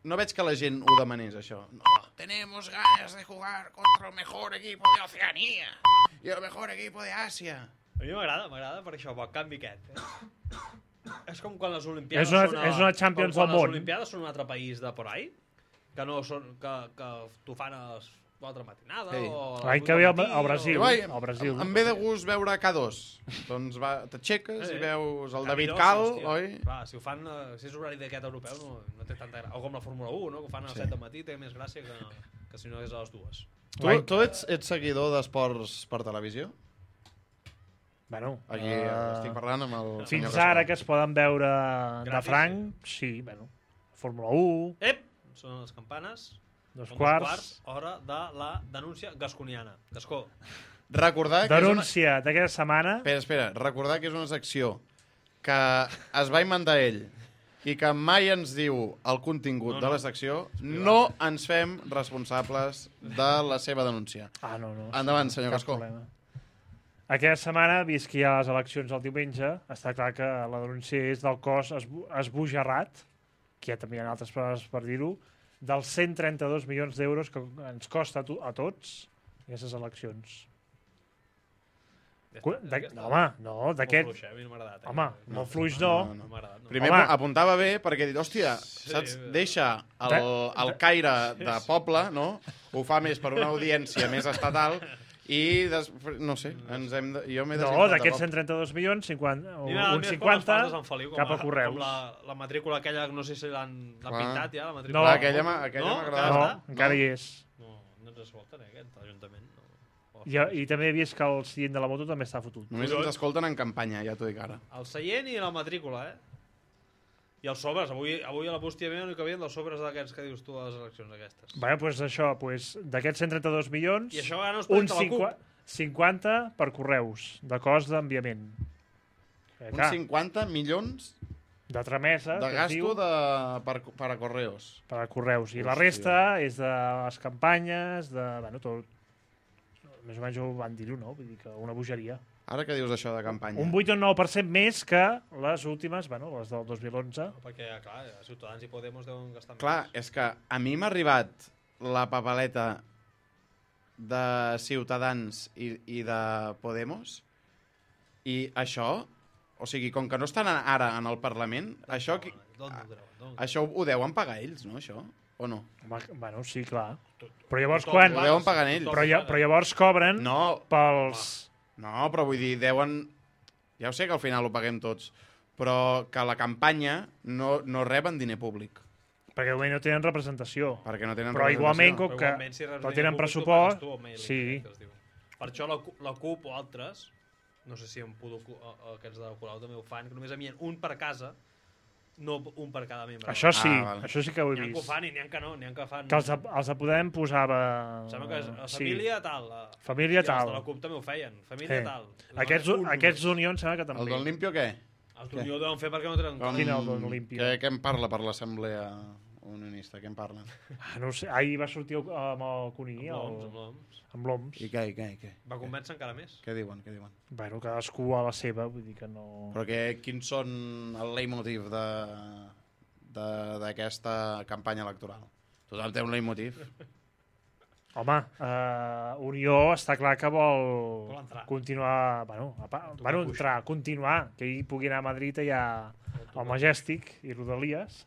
B: No veig que la gent ho demanés, això. No, tenemos ganas de jugar contra el mejor equipo de Oceanía y el mejor equipo de Àsia.
C: A mi m'agrada per això, pel canvi aquest. És com quan les Olimpiades
D: és una Champions del món.
C: Les Olimpiades són un altre país de por ahí, que no són... que t'ho fan a l'altra matinada o...
D: L'any que ve al Brasil.
B: Al Brasil. Em ve de gust veure K2. Doncs t'aixeques i veus el David Cal, oi?
C: Clar, si ho fan, si és horari d'aquest europeu, no té tanta gràcia. O com la Fórmula 1, no? Que ho fan a les 7 del matí, té més gràcia que si no és a les 2.
B: Tu ets seguidor d'esports per televisió?
D: Bueno,
B: aquí estic parlant amb el
D: fins ara que es poden veure de franc, sí, bueno, Fórmula 1...
C: Ep! Són les campanes.
D: 2:15.
C: Hora de la denúncia gasconiana. Gascó.
B: Recordar que
D: denúncia d'aquesta setmana.
B: Espera. Recordar que és una secció que es va inventar ell i que mai ens diu el contingut de la secció. No ens fem responsables de la seva denúncia.
D: No.
B: Endavant, senyor Gascó.
D: Aquesta setmana, vist que hi ha les eleccions el diumenge, està clar que la denúncia és del cos esbojarrat, que ja també hi ha altres coses per dir-ho, dels 132 milions d'euros que ens costa a tots aquestes eleccions. No, d'aquest...
C: Molt fluix, a mi no m'ha agradat.
D: Home, molt fluix no.
B: Primer apuntava bé perquè he dit, hòstia, saps, deixa el caire de poble, no? Ho fa més per una audiència més estatal i, no sé, jo m'he desinflat.
D: No, d'aquests 132 milions, un 50 cap a correus.
C: Com la matrícula aquella, no sé si l'han pintat ja, la matrícula.
B: No, aquella m'agradava.
D: No, encara hi és.
C: No ens escolten, aquest Ajuntament.
D: I també he vist que el seient de la moto també està fotut.
B: Només ens escolten en campanya, ja t'ho dic ara.
C: El seient i la matrícula, I els sobres. Avui a la bústia meva no hi cabien dels sobres d'aquests que dius tu a les eleccions aquestes.
D: Bé, doncs això, d'aquests 132 milions,
C: i això no un
B: 50
D: per correus, de cost d'enviament.
B: Uns 50 milions
D: de tramesa,
B: de gasto per a correus.
D: Per a correus. I la resta és de les campanyes, de... Bueno, tot... Més o menys ho van dir-ho, no? Vull dir que una bogeria.
B: Ara que dius això de campanya?
D: Un 8 o 9% més que les últimes, bueno, les del 2011.
C: Perquè, clar, Ciutadans i Podemos deuen gastar més.
B: Clar, és que a mi m'ha arribat la papeleta de Ciutadans i de Podemos i això, o sigui, com que no estan ara en el Parlament, això ho deuen pagar ells, no, això? O no?
D: Bueno, sí, clar. Però llavors quan...
B: Ho deuen pagar ells.
D: Però llavors cobren pels...
B: No, però vull dir, deuen... Ja ho sé que al final ho paguem tots, però que la campanya no reben diner públic.
D: Perquè no tenen representació.
B: Perquè no tenen
D: però igualment, com que no tenen pressupost... Sí.
C: Per això la CUP o altres, no sé si en Pudo, aquests de Colau també ho fan, que només envien un per casa, no un per cada membre.
D: Això sí, això sí que ho he vist.
C: N'hi ha que ho fan i n'hi ha que no, n'hi ha que fan...
D: Que els de Podem posava...
C: Sembla que la família tal.
D: Família tal.
C: I els de la CUP també ho feien, família tal.
D: Aquests d'Unió em sembla que també.
B: El d'on Limpio què?
C: Els d'Unió ho deuen fer perquè no tenen...
D: Quin el d'on Limpio?
B: Què en parla per l'assemblea unionista? Què en parlen?
D: No sé, ahir va sortir amb el Cuní, amb l'OMS.
B: I què?
C: Va convèncer encara més.
B: Què diuen?
D: Bueno, cadascú a la seva, vull dir que no...
B: Però quins són el leitmotiv d'aquesta campanya electoral? Tothom té un leitmotiv.
D: Home, Unió està clar que vol continuar... continuar, que ell pugui anar a Madrid allà al Majestic i Rodalies,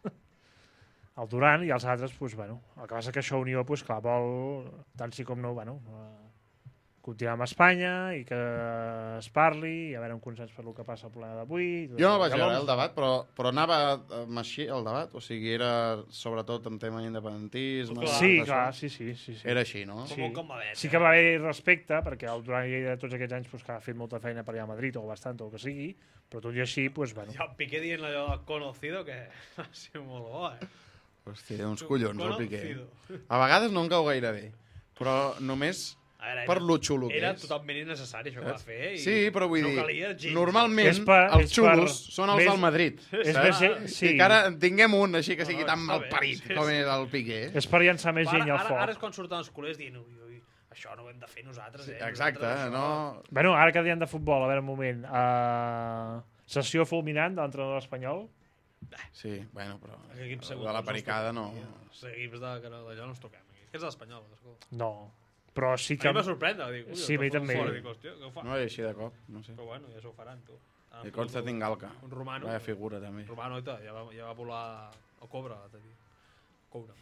D: el Duran i els altres, el que passa que això Unió, clar, vol, tant sí com no, continuar amb Espanya i que es parli i a veure un consens per el que passa al plena d'avui.
B: Jo no el vaig veure, el debat, però anava així, el debat? O sigui, era sobretot en tema d'independentisme?
D: Sí, clar, sí.
B: Era així, no?
D: Sí que va haver respecte, perquè el Duran i de tots aquests anys ha fet molta feina per allà a Madrid, o bastant, o el que sigui, però tot i així,
C: Ja el Piqué dient allò del conocido, que ha sigut molt bo,
B: Hòstia, uns collons, el Piqué. A vegades no em cau gaire bé, però només per lo xulo que és.
C: Era totalment innecessari això que va fer.
B: Sí, però vull dir, normalment els xulos són els del Madrid. I que ara en tinguem un així que sigui tan malparit com és el Piqué.
D: És per llançar més gent al foc.
C: Ara és quan surten els culers dient això no ho hem de fer nosaltres.
B: Exacte, no...
D: Bueno, ara que diem de futbol, a veure un moment. Sessió fulminant de l'entrenador espanyol.
B: Sí, bueno, però
C: Equips
B: de la pericada no...
C: Els equips d'allò no ens toquem. Que és l'Espanyol, escolta.
D: No, però sí
C: A
D: que...
C: mi va sorprendre, dic, ui,
D: Sí, a mi també.
C: Dic, hòstia, què ho fa?
B: No és així de cop, no sé.
C: Però bueno, ja s'ho faran, tu.
B: I Konstantin Galka.
C: Un romano.
B: Vaya figura, també.
C: Romano, ja va volar el Cobra, t'he dit. Cobra.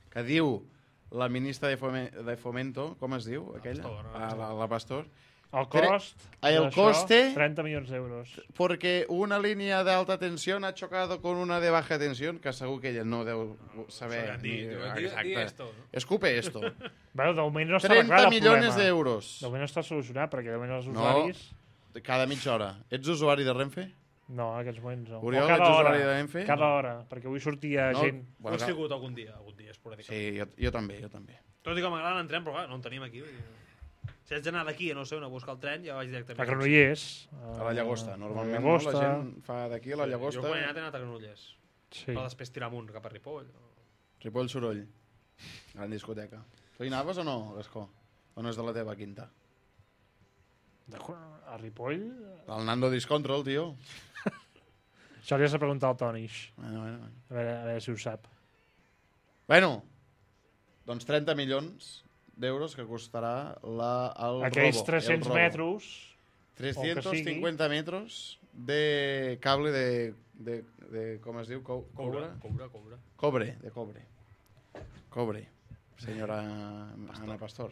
B: Que diu la ministra de Fomento, com es diu, aquella?
C: Pastor,
B: La Pastor.
D: El cost
B: El
D: d'això,
B: coste...
D: 30 milions d'euros.
B: Porque una línea de alta tensión ha chocado con una de baja tensión, que segur que ella no deu saber...
C: Di esto, no?
B: Escupe esto.
D: Bueno, de moment no està
B: 30
D: arreglat el
B: milions
D: problema.
B: d'euros.
D: De moment no està solucionat, perquè de moment els
B: No.
D: usuaris...
B: Cada mitja hora. Ets usuari de Renfe?
D: No, en aquests moments no.
B: Oriol,
D: O cada
B: ets
D: hora,
B: usuari de Renfe?
D: cada hora, perquè avui sortia
B: No?
D: gent...
C: Ho he sigut algun dia esporàdicament.
B: Sí, jo també.
C: Tot i que m'agrada en tren, però clar, no en tenim aquí. Vull dir. Si haig d'anar d'aquí, no sé, on a buscar el tren, ja vaig directament.
D: A Granollers.
B: A la Llagosta. Normalment
D: a la
B: no,
D: Llagosta.
B: la gent fa d'aquí a la Llagosta.
C: Jo quan he anat a Granollers.
D: Sí.
C: Però després tirar amunt cap a Ripoll.
B: Ripoll Soroll. Gran discoteca. Tu hi anaves o no, Gascó? O no és de la teva quinta?
D: A Ripoll?
B: El Nando Discontrol, tio.
D: Això li has de preguntar al Tonix.
B: Bueno.
D: A veure si ho sap.
B: Bueno, doncs 30 milions d'euros que costarà el
D: Aquells
B: robo.
D: 300 metres...
B: 350 metros de cable de com es diu?
C: Cobra.
B: Cobre, senyora Ana Pastor.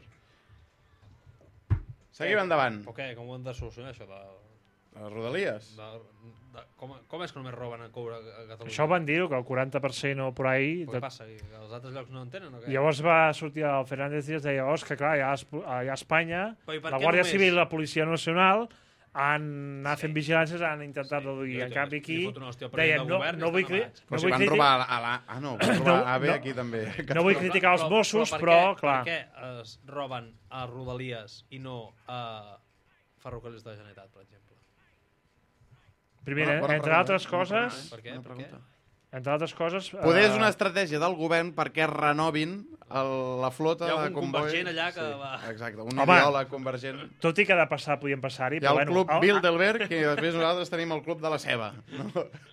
B: Seguim endavant.
C: O què? Com ho hem de solucionar, això?
B: Les rodalies.
C: Com és que només roben a Cobra a Catalunya?
D: Això van dir que el 40% o per ahí...
C: Què passa? Que els altres llocs no en tenen o què?
D: Llavors va sortir el Fernández Díaz i deia, que clar, allà a Espanya,
C: Però i per
D: la
C: què
D: Guàrdia
C: només?
D: Civil i la Policia Nacional han anat fent vigilàncies, han intentat reduir. En canvi aquí deien, no vull
B: Però si van robar a la... Ah, no, van robar a l'AVE aquí també.
D: No vull criticar els Mossos, però, clar...
C: Per què es roben a Rodalies i no a Ferrocarrils de la Generalitat, per exemple?
D: Primer, entre altres coses...
C: Per què?
D: Entre altres coses...
B: Poder és una estratègia del govern perquè renovin la flota de convois.
C: Hi ha un convergent allà que va...
B: Exacte, un ideòleg convergent.
D: Tot i que de passar podien passar-hi...
B: Hi ha el club Bilderberg i després nosaltres tenim el club de la ceba. No?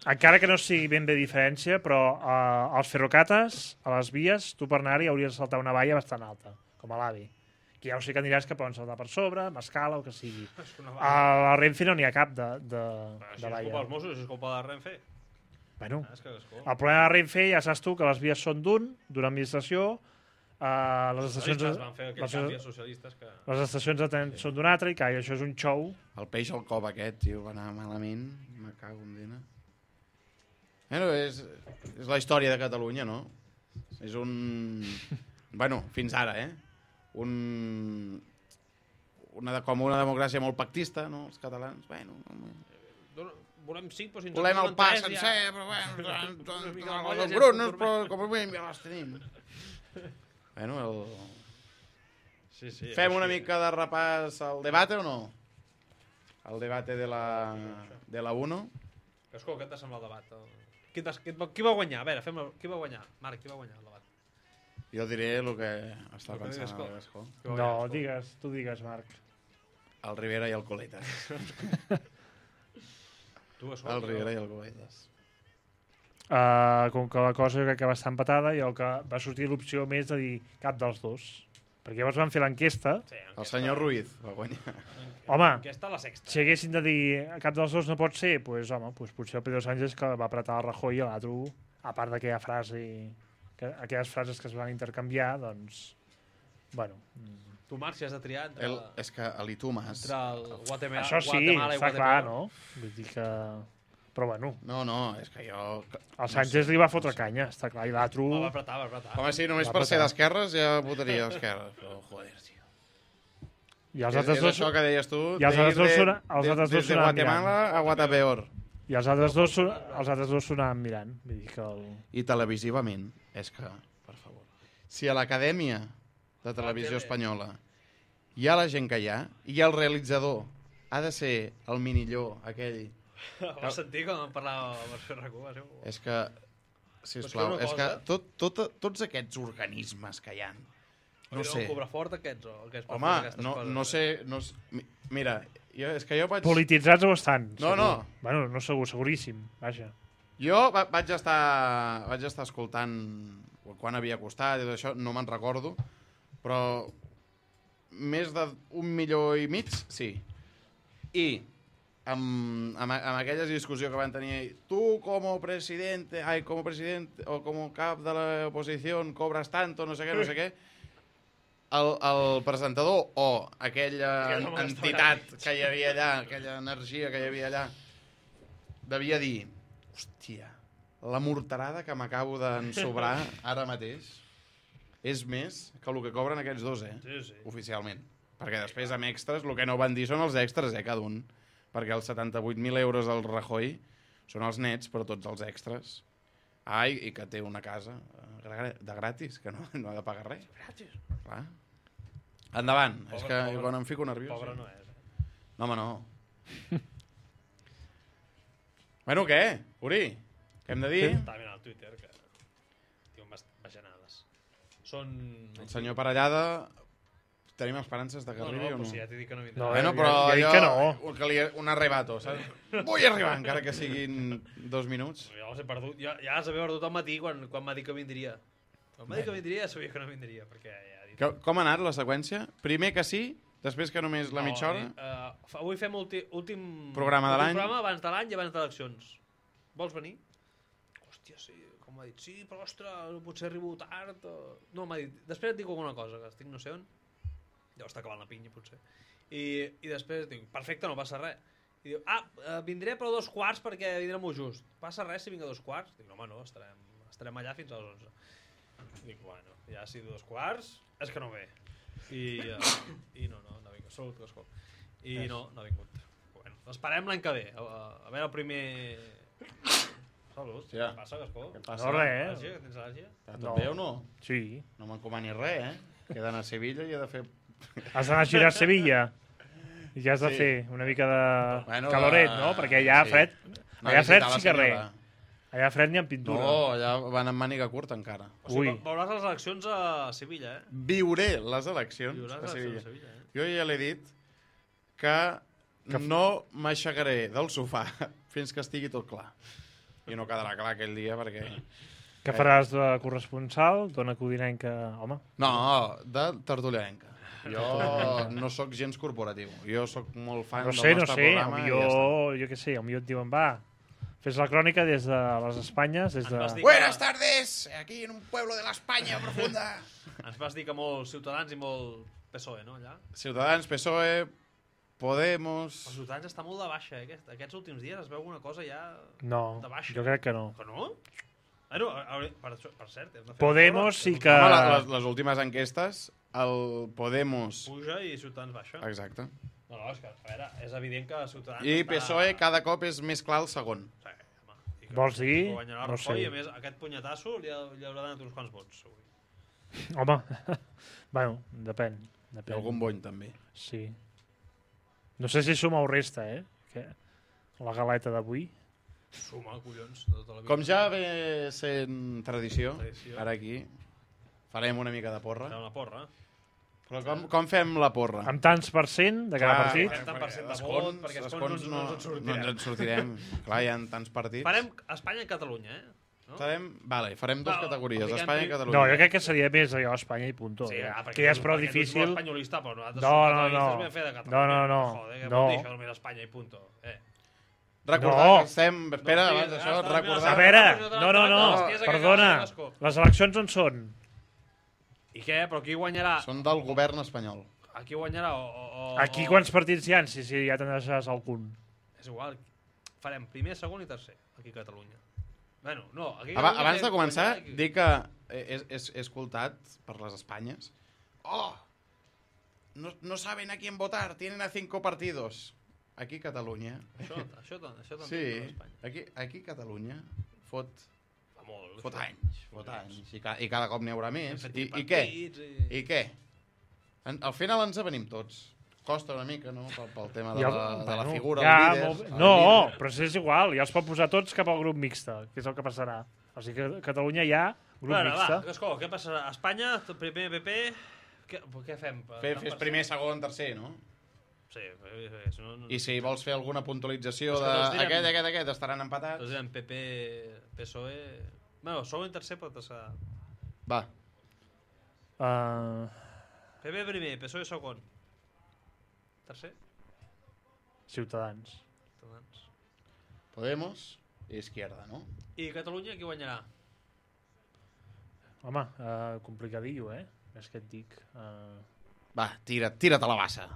D: Encara que no sigui ben bé diferència, però als ferrocates, a les vies, tu per anar-hi hauries de saltar una valla bastant alta, com a l'AVI. Que ja ho sé que diràs que poden saltar per sobre, amb escala o que sigui. A la Renfe no n'hi ha cap de valla.
C: Això és culpa dels Mossos, això és culpa de Renfe.
D: Bueno, el problema de Renfe ja saps tu que les vies són d'una administració, les estacions
C: van fer aquells canvis socialistes que...
D: les estacions de tren són d'una altra i que això és un xou.
B: El peix al cop aquest, tio, va anar malament. Me cago en dina. Bueno, és la història de Catalunya, no? És un... Bueno, fins ara, com una democràcia molt pactista, no? Els catalans, bueno...
C: Volem 5, però si ens
B: volem el pa sencer, però bueno, els brunos, però com a mínim ja les tenim. Bueno, fem una mica de repàs al debate o no? El debate de la 1.
C: Escolta, què et sembla el debat? Qui va guanyar? A veure, qui va guanyar? Marc, qui va guanyar el debat?
B: Jo diré el que està pensant el Gascó.
D: No, tu digues, Marc.
B: El Rivera i el Coletas. El Rivera i el Coletas.
D: Com que la cosa jo crec que va estar empatada i el que va sortir l'opció més de dir cap dels dos. Perquè llavors van fer l'enquesta.
B: El senyor Ruiz va guanyar.
D: Home,
C: si
D: haguessin de dir cap dels dos no pot ser, doncs potser el Pedro Sánchez que va apretar el Rajoy i l'altre, a part d'aquella frase, aquelles frases que es van intercanviar, doncs, bueno...
C: Tu, Marc, si has de triar entre...
B: És que l'Itumas...
C: Entre el Guatemala
D: això sí, està clar, no? Vull dir que... Però bueno...
B: No, és que jo...
D: El Sánchez li va fotre canya, està clar, i l'altre...
C: Va apretar.
B: Home, sí, només per ser d'esquerres ja votaria d'esquerres, però joder, tio.
D: I els altres dos...
B: És això que deies tu,
D: i els altres dos
B: de Guatemala a Guatapeor.
D: I els altres dos sonaven mirant. Vull dir que
B: I televisivament, és que, per favor, si a l'Acadèmia de Televisió Espanyola hi ha la gent que hi ha, i el realitzador ha de ser el minilló, aquell...
C: Vas sentir com parlava amb el seu RAC1?
B: És que, sisplau, és que tots aquests organismes que hi ha, no sé...
C: El cobrafort aquests, o aquests...
B: Home, no sé... Mira, és que jo vaig...
D: Polititzats o bastants?
B: No.
D: Bueno, no segur, seguríssim, vaja.
B: Jo vaig estar escoltant quan havia costat i tot això, no me'n recordo, però més d'1,5 milió, sí. I amb aquella discussió que van tenir, tu com a president o com a cap de l'oposició cobres tanto, no sé què, el presentador o aquella entitat que hi havia allà, aquella energia que hi havia allà, devia dir, hòstia, la morterada que m'acabo d'ensobrar ara mateix és més que el que cobren aquests dos,
C: Sí.
B: oficialment. Perquè després, amb extras, el que no van dir són els extras, cada un. Perquè els 78.000 euros del Rajoy són els nets, però tots els extras. I que té una casa de gratis, que no ha de pagar res.
C: Gratis.
B: Clar. Endavant.
C: Pobre,
B: És que
C: pobre.
B: quan em fico nerviós...
C: Pobre no és.
B: No, home, no. Bueno, què? Uri, què hem de dir?
C: Està ben al Twitter, que diuen bajanades. Són...
B: El senyor Parellada, tenim esperances de que arribi o
C: No,
B: no?
C: però si ja t'he dit que no vindrà.
D: No,
B: Bueno,
D: ja
B: però
D: he dit
B: jo...
D: que no.
B: Un arrebato, saps? Vull arribar, encara que siguin 2 minuts.
C: Ja els he perdut. Ja els havia perdut al matí quan m'ha dit que vindria. Quan m'ha dit que vindria, sabia que no vindria, perquè ja ha dit...
B: Com ha anat la seqüència? Primer que sí, després que només la mitja hora?
C: Avui fem últim
B: Programa de l'any.
C: programa abans de l'any i abans d'eleccions. Vols venir? Hòstia, sí. Com m'ha dit, sí, però ostres, potser arribo tard. No, m'ha dit, després et dic alguna cosa, que estic no sé on. Ja està acabant la pinya, potser. I després dic, perfecte, no passa res. I diu, vindré però a 2:15 perquè vindrà molt just. Passa res si vinc a 2:15? Dic, no, home, no, estarem allà fins a les 11. Dic, bueno, ja si 2:15 és que no ve. I no ha vingut. Salut, Gascó. I no ha vingut. Bueno, esperem l'any que ve. A veure el primer... Salut.
B: Hòstia.
C: Què passa, Gascó?
B: Què passa?
D: No, res,
C: Al·lèrgia? Tens al·lèrgia?
B: Està tot bé o no?
D: Sí.
B: No m'encomani res, Que he d'anar a Sevilla i he de fer...
D: Has d'anar a girar a Sevilla i ja has de
B: Sí.
D: fer una mica de
B: Bueno,
D: caloret, no? Perquè allà
B: sí.
D: fred...
B: No,
D: Allà fred
B: visitar la
D: sí que res.
B: senyora.
D: Allà fred ni amb pintura.
B: No, allà van amb màniga curta encara.
C: O sigui,
D: Ui.
C: veuràs les eleccions a Sevilla,
B: Viuré les eleccions
C: Viuràs
B: a
C: les
B: Sevilla.
C: eleccions a Sevilla,
B: Jo ja l'he dit que no m'aixecaré del sofà fins que estigui tot clar. I no quedarà clar aquell dia perquè...
D: Què faràs de corresponsal, dona codinenca, home?
B: No, de tertulianenca. Jo no sóc gens corporatiu. Jo sóc molt fan
D: No
B: del
D: sé,
B: nostre programa i ja està.
D: jo què sé, potser et diuen, va, fes la crònica des de les Espanyes, des de...
C: vas dir-
B: Buenas tardes, aquí en un pueblo de la España profunda.
C: Ens vas dir que molts Ciutadans i molt PSOE, no, allà?
B: Ciutadans, PSOE, Podemos...
C: Els Ciutadans està molt de baixa, Aquests últims dies es veu una cosa ja...
D: No,
C: de baixa.
D: jo crec que no.
C: Que no? Bueno, per cert... hem de fer
D: Podemos
C: una
D: sí
C: prova.
D: que...
B: Home, les últimes enquestes, el Podemos...
C: Puja i Ciutadans baixa.
B: Exacte.
C: No, és que, a veure, és evident que Ciutadans
B: I
C: està...
B: PSOE cada cop és més clar el segon.
C: Sí, home. I que
D: Vols dir?
C: guanyarà
D: No
C: Rajoy,
D: sé.
C: i a més, aquest punyetasso li haurà donat uns quants vots. Avui.
D: Home, bueno, depèn.
B: I algun bony, també.
D: Sí. No sé si suma o resta, Que la galeta d'avui.
C: Suma, collons, de tota la vida.
B: Com ja ve sent tradició,
C: Tradició.
B: ara aquí, farem una mica de porra.
C: Fem una porra.
B: Però com fem la porra?
D: Amb tants per cent de cada partit.
C: Farem tant per cent de
B: d'escons,
C: vot, perquè escons no ens en sortirem.
B: No ens en sortirem. Clar, hi ha tants partits.
C: Farem Espanya i Catalunya, No?
B: Farem dues
C: No,
B: categories,
C: fiquem
B: Espanya i
C: prim-
B: Catalunya.
D: No, jo crec que seria més allò Espanya i punto.
C: Sí,
D: que ja és prou
C: perquè tu ets
D: difícil.
C: molt espanyolista, però nosaltres
D: No,
C: som
D: no,
C: catalanistes,
D: no.
C: vam fer de Catalunya.
D: No.
C: Joder, què
D: No.
C: vol dir això només Espanya i punto?
B: Recordar
D: No.
B: que estem... Espera,
C: No, sí,
B: abans d'això,
C: està,
B: recordar...
D: A veure, no,
C: Hòsties, que
D: perdona.
C: acabes de Gascó.
D: Les eleccions on són?
C: I què? Però qui guanyarà?
B: Són del govern espanyol.
C: Aquí guanyarà
D: Aquí quants partits hi ha? Si ja te'n deixes algun.
C: És igual. Farem primer, segon i tercer, aquí a Catalunya. Bueno, no, aquí a
B: Abans
C: Catalunya
B: de començar,
C: guanyarà aquí.
B: dic que he escoltat per les Espanyes. Oh! No saben a quién votar, tienen a 5 partidos. Aquí Catalunya.
C: Això també
B: Sí,
C: per Espanya.
B: aquí Catalunya fot
C: Fa molt.
B: Fot anys. I cada cop n'hi haurà més.
C: Hem fet
B: I què?
C: partits
B: I què? Al final ens avenim tots. Costa una mica, no?, pel tema de la figura,
D: ja,
B: el líder.
D: molt bé. No, però és igual, ja els pot posar tots cap al grup mixte, que és el que passarà. O sigui que a Catalunya hi ha grup
C: Bueno,
D: mixte.
C: va, Gascó, què passarà? Espanya, primer PP... Què fem?
B: Fes primer, segon, tercer, no?
C: Sí,
B: I si vols fer alguna puntualització
C: És que tots direm-
B: d'aquest, estaran empatats.
C: Tots direm PP, PSOE... Bueno, segon i tercer pot ser...
B: Va,
C: PP primer, PSOE segon. Tercer?
D: Ciutadans.
C: Ciutadans.
B: Podemos i Izquierda, no?
C: I Catalunya qui guanyarà?
D: Home, complicadillo, És que et dic...
B: Va, tira't a la bassa.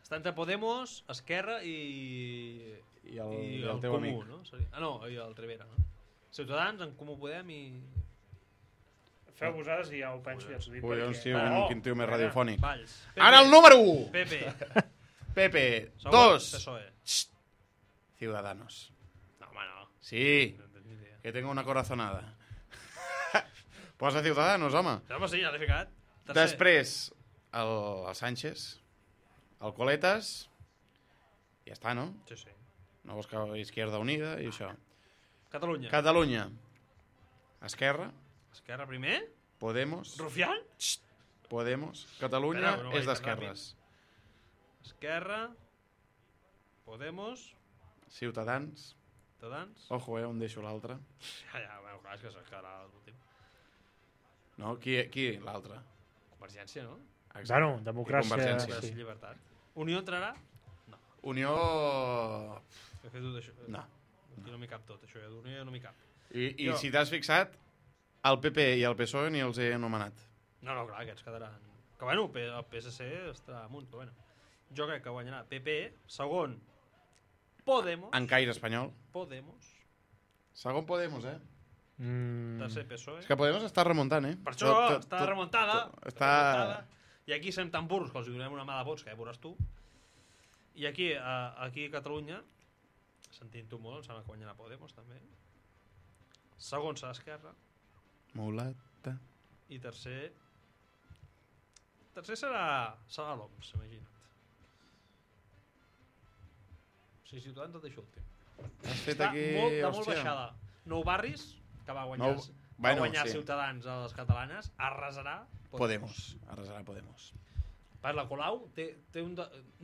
C: Està entre Podemos, Esquerra i
B: el teu
C: Comú,
B: amic.
C: no? I el Rivera, no? Ciutadans, en Comú Podem i...
D: Feu vosaltres i ja ho penso i els dic.
B: Collons, tio,
D: Oh,
B: quin tio més radiofònic.
C: Valls.
B: Ara el número 1!
C: PP.
B: Pepe,
C: Segon,
B: 2.
C: PSOE.
B: Ciudadanos.
C: No, home, no.
B: Sí,
C: No tens ni idea.
B: que tengo una corazonada. Posa Ciudadanos, home.
C: Home, sí, ja l'he ficat. Tercer.
B: Després, el Sánchez, el Coletas, ja està, no?
C: Sí, sí.
B: No vols que Izquierda Unida i això.
C: Catalunya.
B: Catalunya, Esquerra,
C: Esquerra primer.
B: Podemos,
C: Rufián.
B: Podemos. Catalunya
C: Espera, no
B: és
C: vaig
B: d'esquerres.
C: Esquerra. Podemos.
B: Ciutadans.
C: Ciutadans.
B: Ojo, on deixo l'altre.
C: Ja, bueno, clar, és que s'esquerra l'últim.
B: No, qui l'altre?
C: Convergència, no?
D: Bueno, democràcia...
B: Convergència.
C: Sí. Llibertat. Unió entrarà?
B: Unió...
C: He fet tot això.
B: No.
C: Aquí no m'hi cap tot, això. D'Unió no m'hi cap.
B: I
C: Jo.
B: si t'has fixat, el PP i el PSOE ni els he anomenat.
C: No, clar, aquests quedaran... Que bueno, el PSC estarà amunt, però bueno. Jo crec que guanyarà PP, segon, Podemos.
B: En caire espanyol.
C: Podemos.
B: Segon Podemos,
C: Tercer PSOE.
B: És que Podemos està remuntant,
C: Per això està remuntada.
B: Està...
C: I aquí som tan burros que els donem una mà de vots, que ja veuràs tu. I aquí a Catalunya, sentint-ho molt, em sembla que guanyarà Podemos, també. Segon serà Esquerra.
B: Mulata.
C: I tercer... Tercer serà l'OMS, imagina't. O sigui, Ciutadans el deixo últim.
B: Has fet
C: Està
B: aquí...
C: molt
B: hòstia.
C: baixada. Nou Barris, que va guanyar, va guanyar
B: sí.
C: Ciutadans a les catalanes, arrasarà
B: Podemos. Arrasarà Podemos.
C: Per la Colau té un...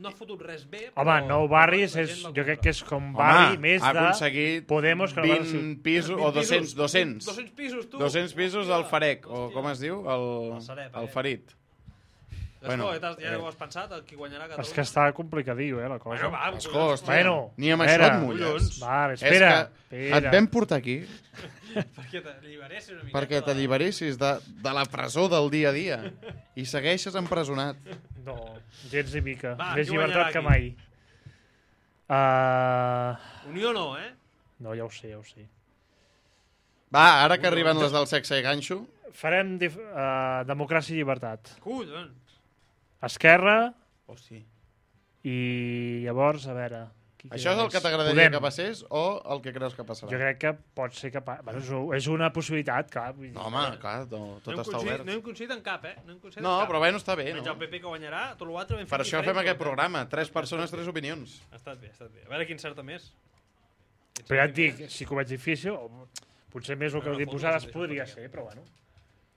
C: No ha fotut res bé,
D: Home, Nou Barris jo crec que és com barri més
B: ha
D: de
B: aconseguit
D: Podemos que no
B: 20 pisos, o 200.
C: 200 pisos, tu.
B: 200 pisos al Farec, o com es diu?
C: El Sareb,
B: el Farit.
C: Bueno, ja ho has pensat, qui guanyarà Catalunya?
D: És que està complicadillo, la cosa.
C: Bueno, va,
B: Escó, hòstia,
D: Bueno,
B: ni amb
D: espera.
B: això et mulles.
D: Vale,
B: És
D: espera.
B: que et vam portar aquí
C: Perquè t'alliberessis una miqueta.
B: perquè t'alliberessis de la presó del dia a dia i segueixes empresonat.
D: No, gens ni mica.
C: Va,
D: Més
C: qui
D: llibertat que
C: guanyarà
D: mai.
C: Unió no,
D: No, ja ho sé, ja ho sé.
B: Va, ara que arriben les del sexe i ganxo,
D: Farem democràcia i llibertat.
C: Collons.
D: Esquerra
B: hosti.
D: i llavors, a veure... qui
B: Això és
D: queda
B: el que
D: més?
B: t'agradaria
D: Podem.
B: que passés o el que creus que passarà?
D: Jo crec que pot ser que... Bueno, és una possibilitat, clar. Vull dir,
B: No, home, clar, tot està obert.
C: No hem coincidit en cap, No hem coincidit
B: No,
C: en cap.
B: però bueno, està bé,
C: Menys
B: no?
C: el PP que guanyarà, tot l'altre ben fet
B: Per això
C: diferent,
B: fem aquest
C: però-
B: programa. 3 persones, 3 opinions.
C: Ha estat bé, ha estat bé. A veure quin certa més.
D: Però ja et dic, si que ho veig difícil, o potser més el que
C: Bueno,
D: heu dit
C: fotos
D: vosaltres
C: no sé,
D: podria
C: fotos
D: ser, però bueno,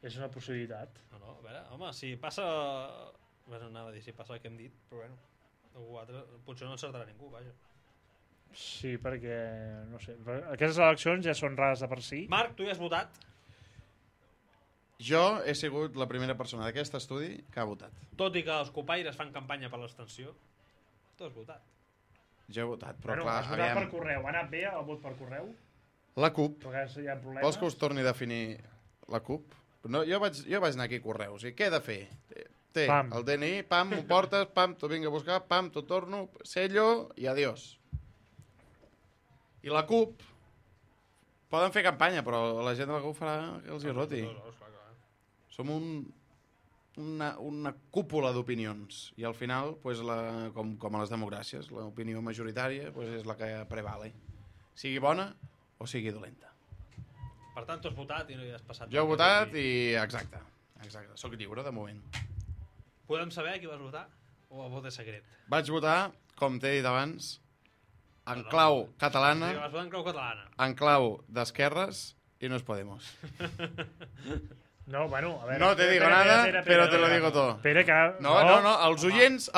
D: és una possibilitat.
C: No, a veure, home, si passa... Bueno, anava a dir si passa el que hem dit, però bueno, algú altre, potser no encertarà ningú, vaja.
D: Sí, perquè, no sé, aquestes eleccions ja són rares de per si.
C: Marc, tu ja has votat.
B: Jo he sigut la primera persona d'aquest estudi que ha votat.
C: Tot i que els copaires fan campanya per l'extensió, tu has votat.
B: Jo he votat, però
D: Però
B: clar,
D: has votat per
B: aviam.
D: correu, ha anat bé el vot per correu?
B: La CUP,
D: Perquè hi ha problemes.
B: vols que us torni a definir la CUP? No, jo vaig anar aquí a Correus i què he de fer? Té
D: Pam.
B: el DNI, pam, m'ho portes, pam, t'ho vinc a buscar, pam, t'ho torno, sello i adiós. I la CUP poden fer campanya, però la gent de la CUP farà que els hi roti. Som una cúpula d'opinions i al final, pues, com a les democràcies, l'opinió majoritària pues, és la que prevale. Sigui bona o sigui dolenta.
C: Per tant, tu has votat i no hi has passat.
B: Jo he votat i... Exacte. Soc lliure, de moment.
C: Podem saber qui vas votar? O el vot és secret?
B: Vaig votar, com t'he dit abans, en clau catalana,
C: Sí, vas votar en clau catalana.
B: en clau d'esquerres i no es Podemos.
D: No, bueno, a veure...
B: No te digo nada, però te lo digo todo.
D: Espera, que...
B: No, els oients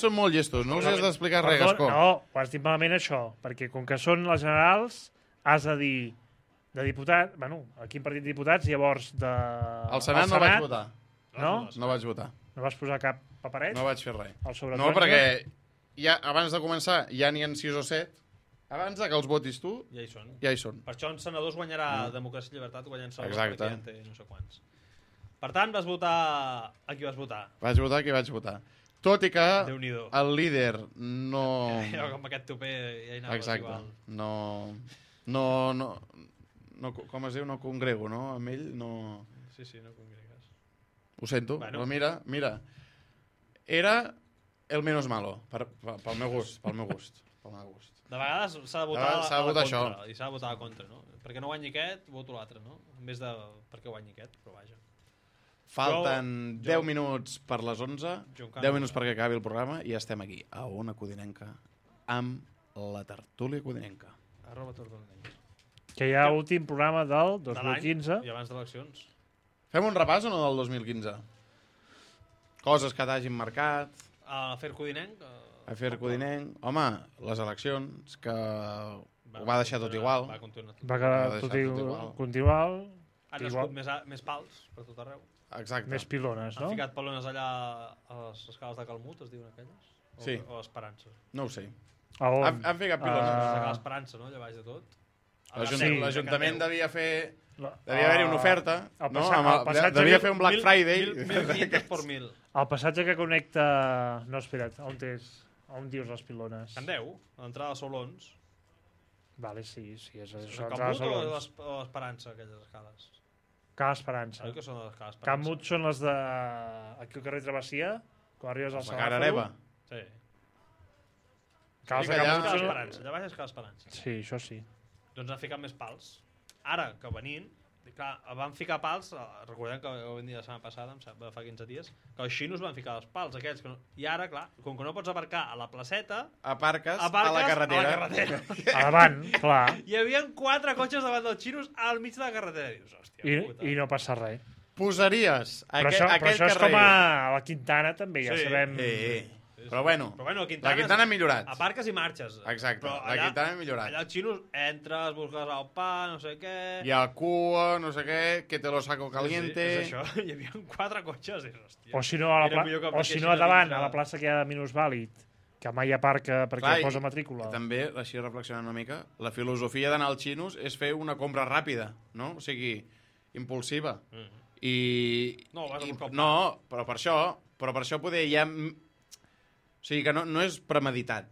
B: són molt llestos, no us has d'explicar res, Gascó.
D: No, ho has dit malament això, perquè com que són les generals, has de dir de diputat... Bueno, a quin partit de diputats, llavors de...
B: Al Senat no vaig votar.
D: No?
B: No vaig votar.
D: No vas posar cap paperet?
B: No vaig fer res.
D: No,
B: perquè ja, abans de començar ja n'hi ha 6 o 7. Abans que els votis tu,
C: ja hi són.
B: Ja hi són.
C: Per això en senadors guanyarà Democràcia i Llibertat, guanyant senadors
B: Exacte.
C: perquè ja en té no sé quants. Per tant, vas votar... A qui vas votar?
B: Vaig votar qui vaig votar. Tot i que
C: Déu-n'hi-do.
B: el líder no...
C: Jo amb aquest topé ja hi anaves
B: Exacte.
C: igual.
B: No, com es diu, no congrego, no? Amb ell no...
C: Sí, no congregues.
B: Ho sento,
C: Bueno.
B: però mira. Era el menos malo, pel meu gust.
C: De vegades s'ha de votar
B: S'ha de
C: a la
B: votar
C: contra.
B: això.
C: I s'ha de votar a la contra, no? Perquè no guanyi aquest, voto l'altre, no? En vez de perquè guanyi aquest, però vaja.
B: Falten 10 minuts per les 11,
C: Jo encara
B: 10
C: no.
B: minuts perquè acabi el programa i estem aquí, a Ona Codinenca, amb la tertúlia codinenca.
C: @tortonenc.
D: Que hi ha últim programa del
C: De l'any
D: 2015.
C: i abans d'eleccions.
B: Fem un repàs o no del 2015? Coses que t'hagin marcat,
C: A fer Codinenc...
B: Afer Codinenc... Home, les eleccions, que ho va deixar tot igual.
C: Va continuar tot.
D: Va quedar
B: Va deixar
D: tot
B: tot igual.
D: continual.
C: Han nascut més pals per tot arreu.
B: Exacte.
D: Més pilones,
C: Han
D: no?
C: ficat palones allà a les escales de Calmut, es diuen aquelles?
B: Sí.
C: O Esperança.
B: No ho sé.
D: A on?
B: Han ficat
C: Les
B: pilones.
C: de Cal Esperança, no? Allà baix de tot.
B: L'Ajuntament devia fer...
D: La-
B: Devia haver-hi una oferta,
D: el
B: no?
D: passatge
B: Devia
D: que-
B: fer un Black Friday.
C: 1.500 por 1.000.
D: El passatge que connecta... No, espera't, on és? On dius les pilones?
C: Can 10, a l'entrada de Solons.
D: Vale, sí, és això.
C: És
D: entrada
C: Calmut
D: Solons.
C: o l'Esperança, aquelles escales?
D: Cal Esperança.
C: Oi que són les escales Esperança?
D: Camut són les de... Aquí al carrer Travessia, quan arribes al
B: La cara hereva.
C: Sí.
D: Cals
B: Sí,
D: de
B: que allà-
D: Camut
C: Escala
D: són...
C: Esperança, allà baix és Escala Esperança.
D: Sí, això sí.
C: Doncs han ficat més pals. Ara, que venint, clar, van ficar pals, recordem que ho vam dir la setmana passada, em sembla, fa 15 dies, que els xinos van ficar els pals aquells. Que no... I ara, clar, com que no pots aparcar a la placeta,
B: Aparques a
C: aparques
B: la carretera.
C: A la carretera.
D: A davant, clar.
C: Hi havia 4 cotxes davant dels xinos al mig de la carretera. I dius, hòstia, puta.
D: I no passa res.
B: Posaries
D: Però
B: aquell
D: això és
B: carrer...
D: com a la Quintana, també, ja
C: Sí.
D: sabem...
B: Però bueno,
C: la Quintana,
B: la Quintana ha millorat.
C: Aparques i marxes.
B: Exacte,
C: Però
B: la Quintana ha millorat.
C: Allà els xinos entres, busques el pa, no sé què...
B: Hi ha cua, no sé què, que te lo saco caliente...
C: Sí, és això. Hi havia 4 cotxes. I, hòstia,
D: O si no,
C: era millor que
D: o si
C: aparquessin
D: no a davant,
C: dins
D: a la plaça que hi ha de minusvàlid, que mai aparca perquè
B: Clar,
D: posa matrícula.
B: També, així reflexionant una mica, la filosofia d'anar als xinos és fer una compra ràpida, no? O sigui, impulsiva. I...
C: No, vas a buscar el pa.
B: No, però per això poder ja... O sigui, que no és premeditat.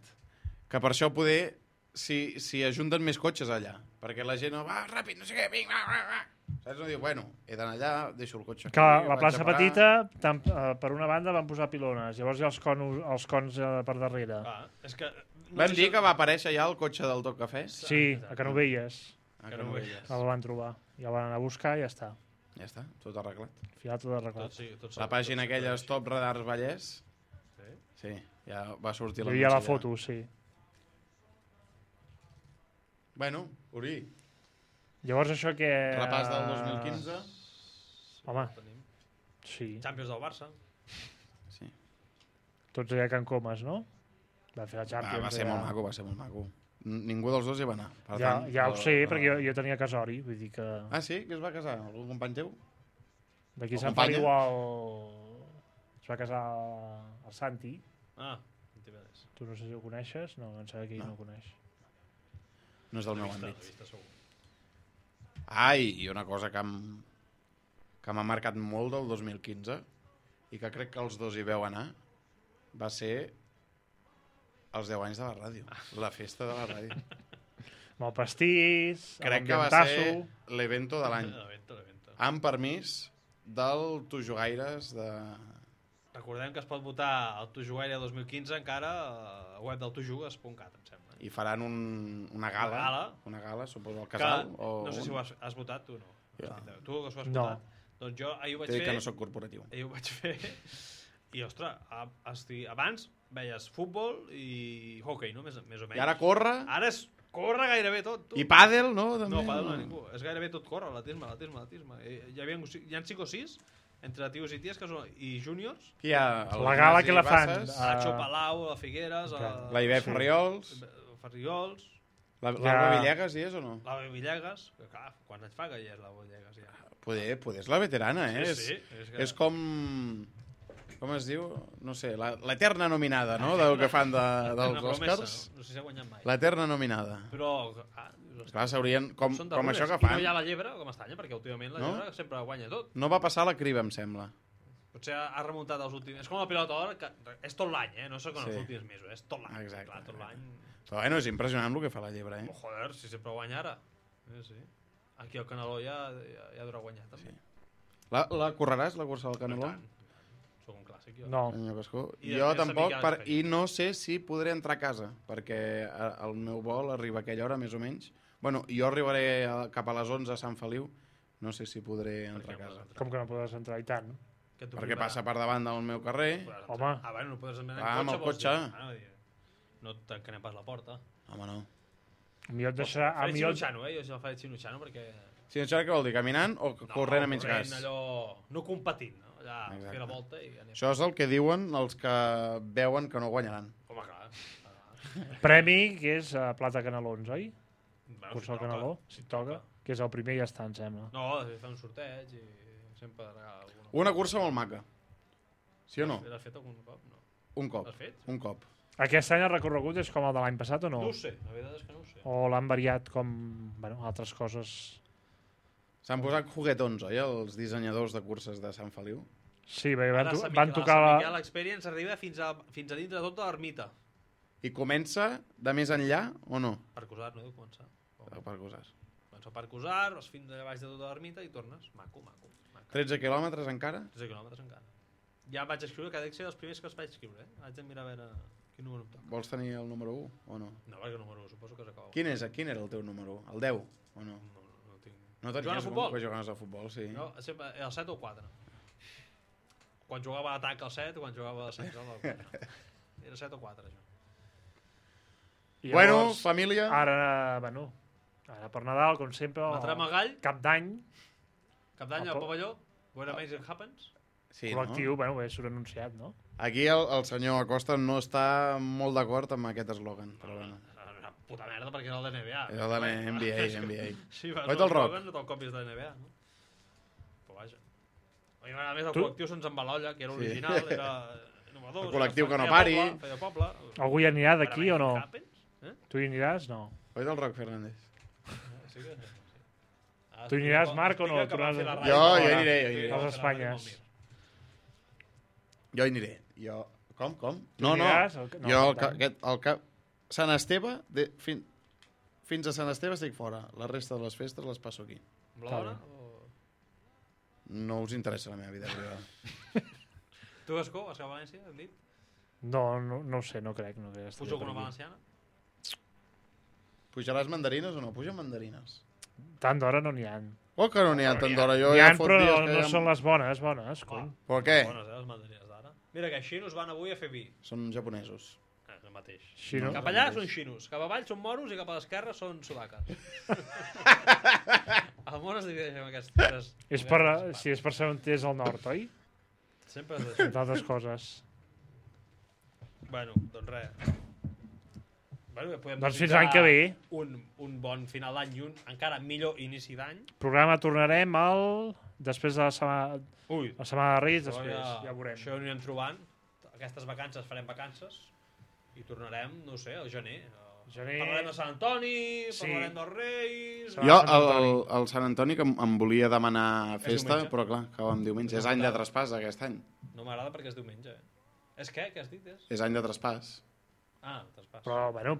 B: Que per això poder si ajunten més cotxes allà. Perquè la gent va ràpid, no sé què, vinga, va. Saps? No diu, bueno, he d'anar allà, deixo el cotxe aquí.
D: Que la
B: vaig
D: plaça
B: a parar.
D: petita, per una banda van posar pilones, llavors hi ha els cons per darrere.
C: És que...
B: Vam dir que va aparèixer ja el cotxe del Tot Cafè?
D: Sí, a Canovelles.
B: Que no ho veies.
D: El van trobar. Ja el van anar a buscar i ja està.
B: Ja està, tot arreglat.
D: Al final tot arreglat.
B: La pàgina aquella Stop Radars Vallès, sí, ja va sortir
D: Hi
B: la
D: havia la
B: allà.
D: foto, sí.
B: Bueno, Uri,
D: Llavors això que...
B: repàs del 2015.
D: Home, sí.
C: Champions del Barça.
B: Sí.
D: Tots allà a Can Comas, no? Va fer la Champions.
B: Va ser
D: allà.
B: molt maco, va ser molt maco. Ningú dels dos hi va anar. Per
D: Ja,
B: tant,
D: ja ho sé, perquè jo tenia casori, vull dir que...
B: Ah, sí? Que es va casar? Algun company teu?
D: D'aquí
B: o
D: Sant
B: companya?
D: Feliu es va casar el Santi.
C: Ah, Antivedes.
D: Tu no sé si ho coneixes? No, em sembla que ell no ho coneix.
B: No és del meu
C: Vista,
B: àmbit.
C: vista segur.
B: Ai, i una cosa que m'ha marcat molt del 2015 i que crec que els dos hi veu anar va ser els 10 anys de la ràdio. La festa de la ràdio.
D: Amb el pastís,
B: Crec que va ser l'evento de l'any.
C: L'evento.
B: Amb permís del Tu Jugaires de...
C: Recordem que es pot votar al Tu Jugaire 2015 encara a web del tujugues.cat, em sembla.
B: I faran una gala, suposo, al casal.
C: No sé si ho has votat tu o no.
B: Ja.
C: Tu que s'ho has
D: No.
C: votat. Doncs jo ahir ho vaig
B: T'he dit
C: fer.
B: que no sóc corporatiu.
C: Ahir ho vaig fer. I, ostres, abans veies futbol i hockey, no? Més o menys.
B: I ara corre...
C: Ara és Corre gairebé tot, tu.
B: I pàdel, no? També?
C: No, pàdel no ningú. És gairebé tot corre, l'atletisme. Hi ha 5 o 6 entre tios i ties i júniors.
B: Qui hi ha?
D: La gala que la fan.
C: Nacho Palau, a Figueres,
B: La Iber Ferriols.
C: Ferriols,
B: L'Alba Villegas hi és o no?
C: la Villegas, que clar, quants anys fa que hi és la Villegas ja?
B: Poder és la veterana, eh?
C: Sí,
B: És com... Com es diu? No sé, l'eterna nominada, no? Del que fan dels Oscars.
C: No sé si ha guanyat mai.
B: L'eterna nominada.
C: Però...
B: Clar, s'haurien... Com això que
C: fan. I
B: fan.
C: no hi ha la llebre, com estanya, perquè últimament la llebre sempre guanya tot.
B: No va passar la criba, em sembla.
C: Potser ha remuntat els últims... És com la pilota d'or, que és tot l'any, no sé com els últims mesos, és tot l'any.
B: Exacte.
C: Clar, tot l'any...
B: Però bueno, és impressionant el que fa la llebre,
C: Oh, joder, si sempre guanya ara. Sí. Aquí el Caneló ja durà guanyar, també.
B: La correràs, la cursa del Caneló?
C: Soc un clàssic, jo.
D: No.
B: Jo tampoc, i no sé si podré entrar a casa, perquè el meu vol arriba a aquella hora, més o menys. Bueno, jo arribaré cap a les 11 a Sant Feliu, no sé si podré entrar a casa.
D: Com que no podràs entrar i tant?
B: Perquè passa per davant del meu carrer.
D: Home.
C: Bueno, no podes anar
B: amb el cotxe.
C: No et tancarem pas la porta.
B: Home, no.
D: A mi et deixarà...
C: Faré xinutxano, jo si el faré xinutxano, perquè...
B: Xinutxano què vol dir? Caminant o corrent a mig gas?
C: No, allò... No competint, no? Allà fer la volta i anem.
B: Això és el que diuen els que veuen que no guanyaran.
C: Home, clar.
D: Premi, que és plata canelons, oi?
C: Bueno,
D: Cursa el caneló, si toca. Que és el primer i ja està, em sembla.
C: No, fa un sorteig i sempre regala alguna.
B: Una cursa molt maca. Sí o no?
C: L'has fet algun cop? No.
B: Un cop.
C: L'has fet?
B: Un cop.
D: Aquest any el recorregut és com el de l'any passat o no?
C: No ho sé, la veritat és que no ho sé.
D: O l'han variat com, bueno, altres coses...
B: S'han posat juguetons, oi, els dissenyadors de curses de Sant Feliu?
D: Sí, perquè van
C: tocar...
D: tocar...
C: La Sant Miquel Experience arriba fins a dintre de tota l'ermita.
B: I comença de més enllà o no?
C: Per Cusar, no deu començar.
B: Per Cusar.
C: Comença per Cusar, vas fins a baix de tota l'ermita i tornes. Maco.
B: 13 quilòmetres encara?
C: 13 quilòmetres encara. Ja vaig escriure, que ha de ser els primers que els vaig escriure. Haig de mirar a veure quin número em toca.
B: Vols tenir el número 1 o no?
C: No, perquè el número 1 suposo que s'acaba.
B: Quin era el teu número 1? El 10 o no?
C: No tinc...
B: No tenies un que jugaves a futbol, sí.
C: No, sempre el 7 o el 4. Quan jugava a l'atac el 7, quan jugava a central el 4. Era 7 o 4, això.
D: I
B: bueno,
D: llavors,
B: família...
D: Ara per Nadal, com sempre...
C: Matrem el gall.
D: Cap d'any.
C: Cap d'any al pavelló. When Amazing Happens.
B: Sí,
D: col·lectiu,
B: no?
D: bueno, bé, surt anunciat, no?
B: Aquí el senyor Acosta no està molt d'acord amb aquest eslògan, però bueno.
C: Una puta merda, perquè era el de NBA.
B: Era el de NBA.
C: Sí, vas
B: al Roc.
C: No te'l copis de NBA, no? Però vaja. A mi m'agrada més el col·lectiu Sons amb Balolla, que era original, era innovador.
B: El col·lectiu que no pari.
C: Feia poble.
D: Algú hi anirà d'aquí o no?
C: Eh?
D: Tu hi aniràs? No.
B: Oi del Roc Fernández?
C: Sí que...
D: Tu hi aniràs, Marc, o no?
B: Jo hi aniré.
D: A les Espanyes.
B: Jo hi aniré. Com?
D: Tu aniràs?
B: Jo, Sant Esteve, fins a Sant Esteve estic fora. La resta de les festes les passo aquí.
C: Amb la dona?
B: No us interessa la meva vida privada.
C: Tu, Gascó, vas cap a València, hem dit?
D: No ho sé, no crec.
C: Pujo alguna valenciana?
B: Pujaràs mandarines o no? Puja mandarines.
D: Tant d'hora no n'hi ha.
B: Oh, que no n'hi ha tant d'hora.
D: N'hi ha, però no són les bones, cony.
B: Però què?
C: Bones, les mandarines d'ara. Mira que xinos van avui a fer vi.
B: Són japonesos.
C: El mateix.
D: Xinos.
C: Cap allà són xinos, cap avall són moros i cap a l'esquerra són sudaques. El món es divideix en aquestes...
D: Si és per ser on és al nord, oi?
C: Sempre és d'això.
D: Entre altres coses.
C: Bueno, doncs res. Bueno,
D: doncs fins l'any que ve.
C: Un bon final d'any i un encara millor inici d'any.
D: Programa tornarem després de la setmana... La setmana de Reis, després, ja veurem.
C: Això ho anirem trobant. Aquestes vacances farem vacances. I tornarem, no sé, al gener. Parlarem de Sant Antoni, parlarem dels Reis...
B: Jo, el Sant Antoni, que em volia demanar festa, però clar, acaba amb diumenge. És any de traspàs, aquest any.
C: No m'agrada perquè és diumenge. És què? Què has dit?
B: És any de traspàs.
C: Ah, traspàs.
D: Però, bueno,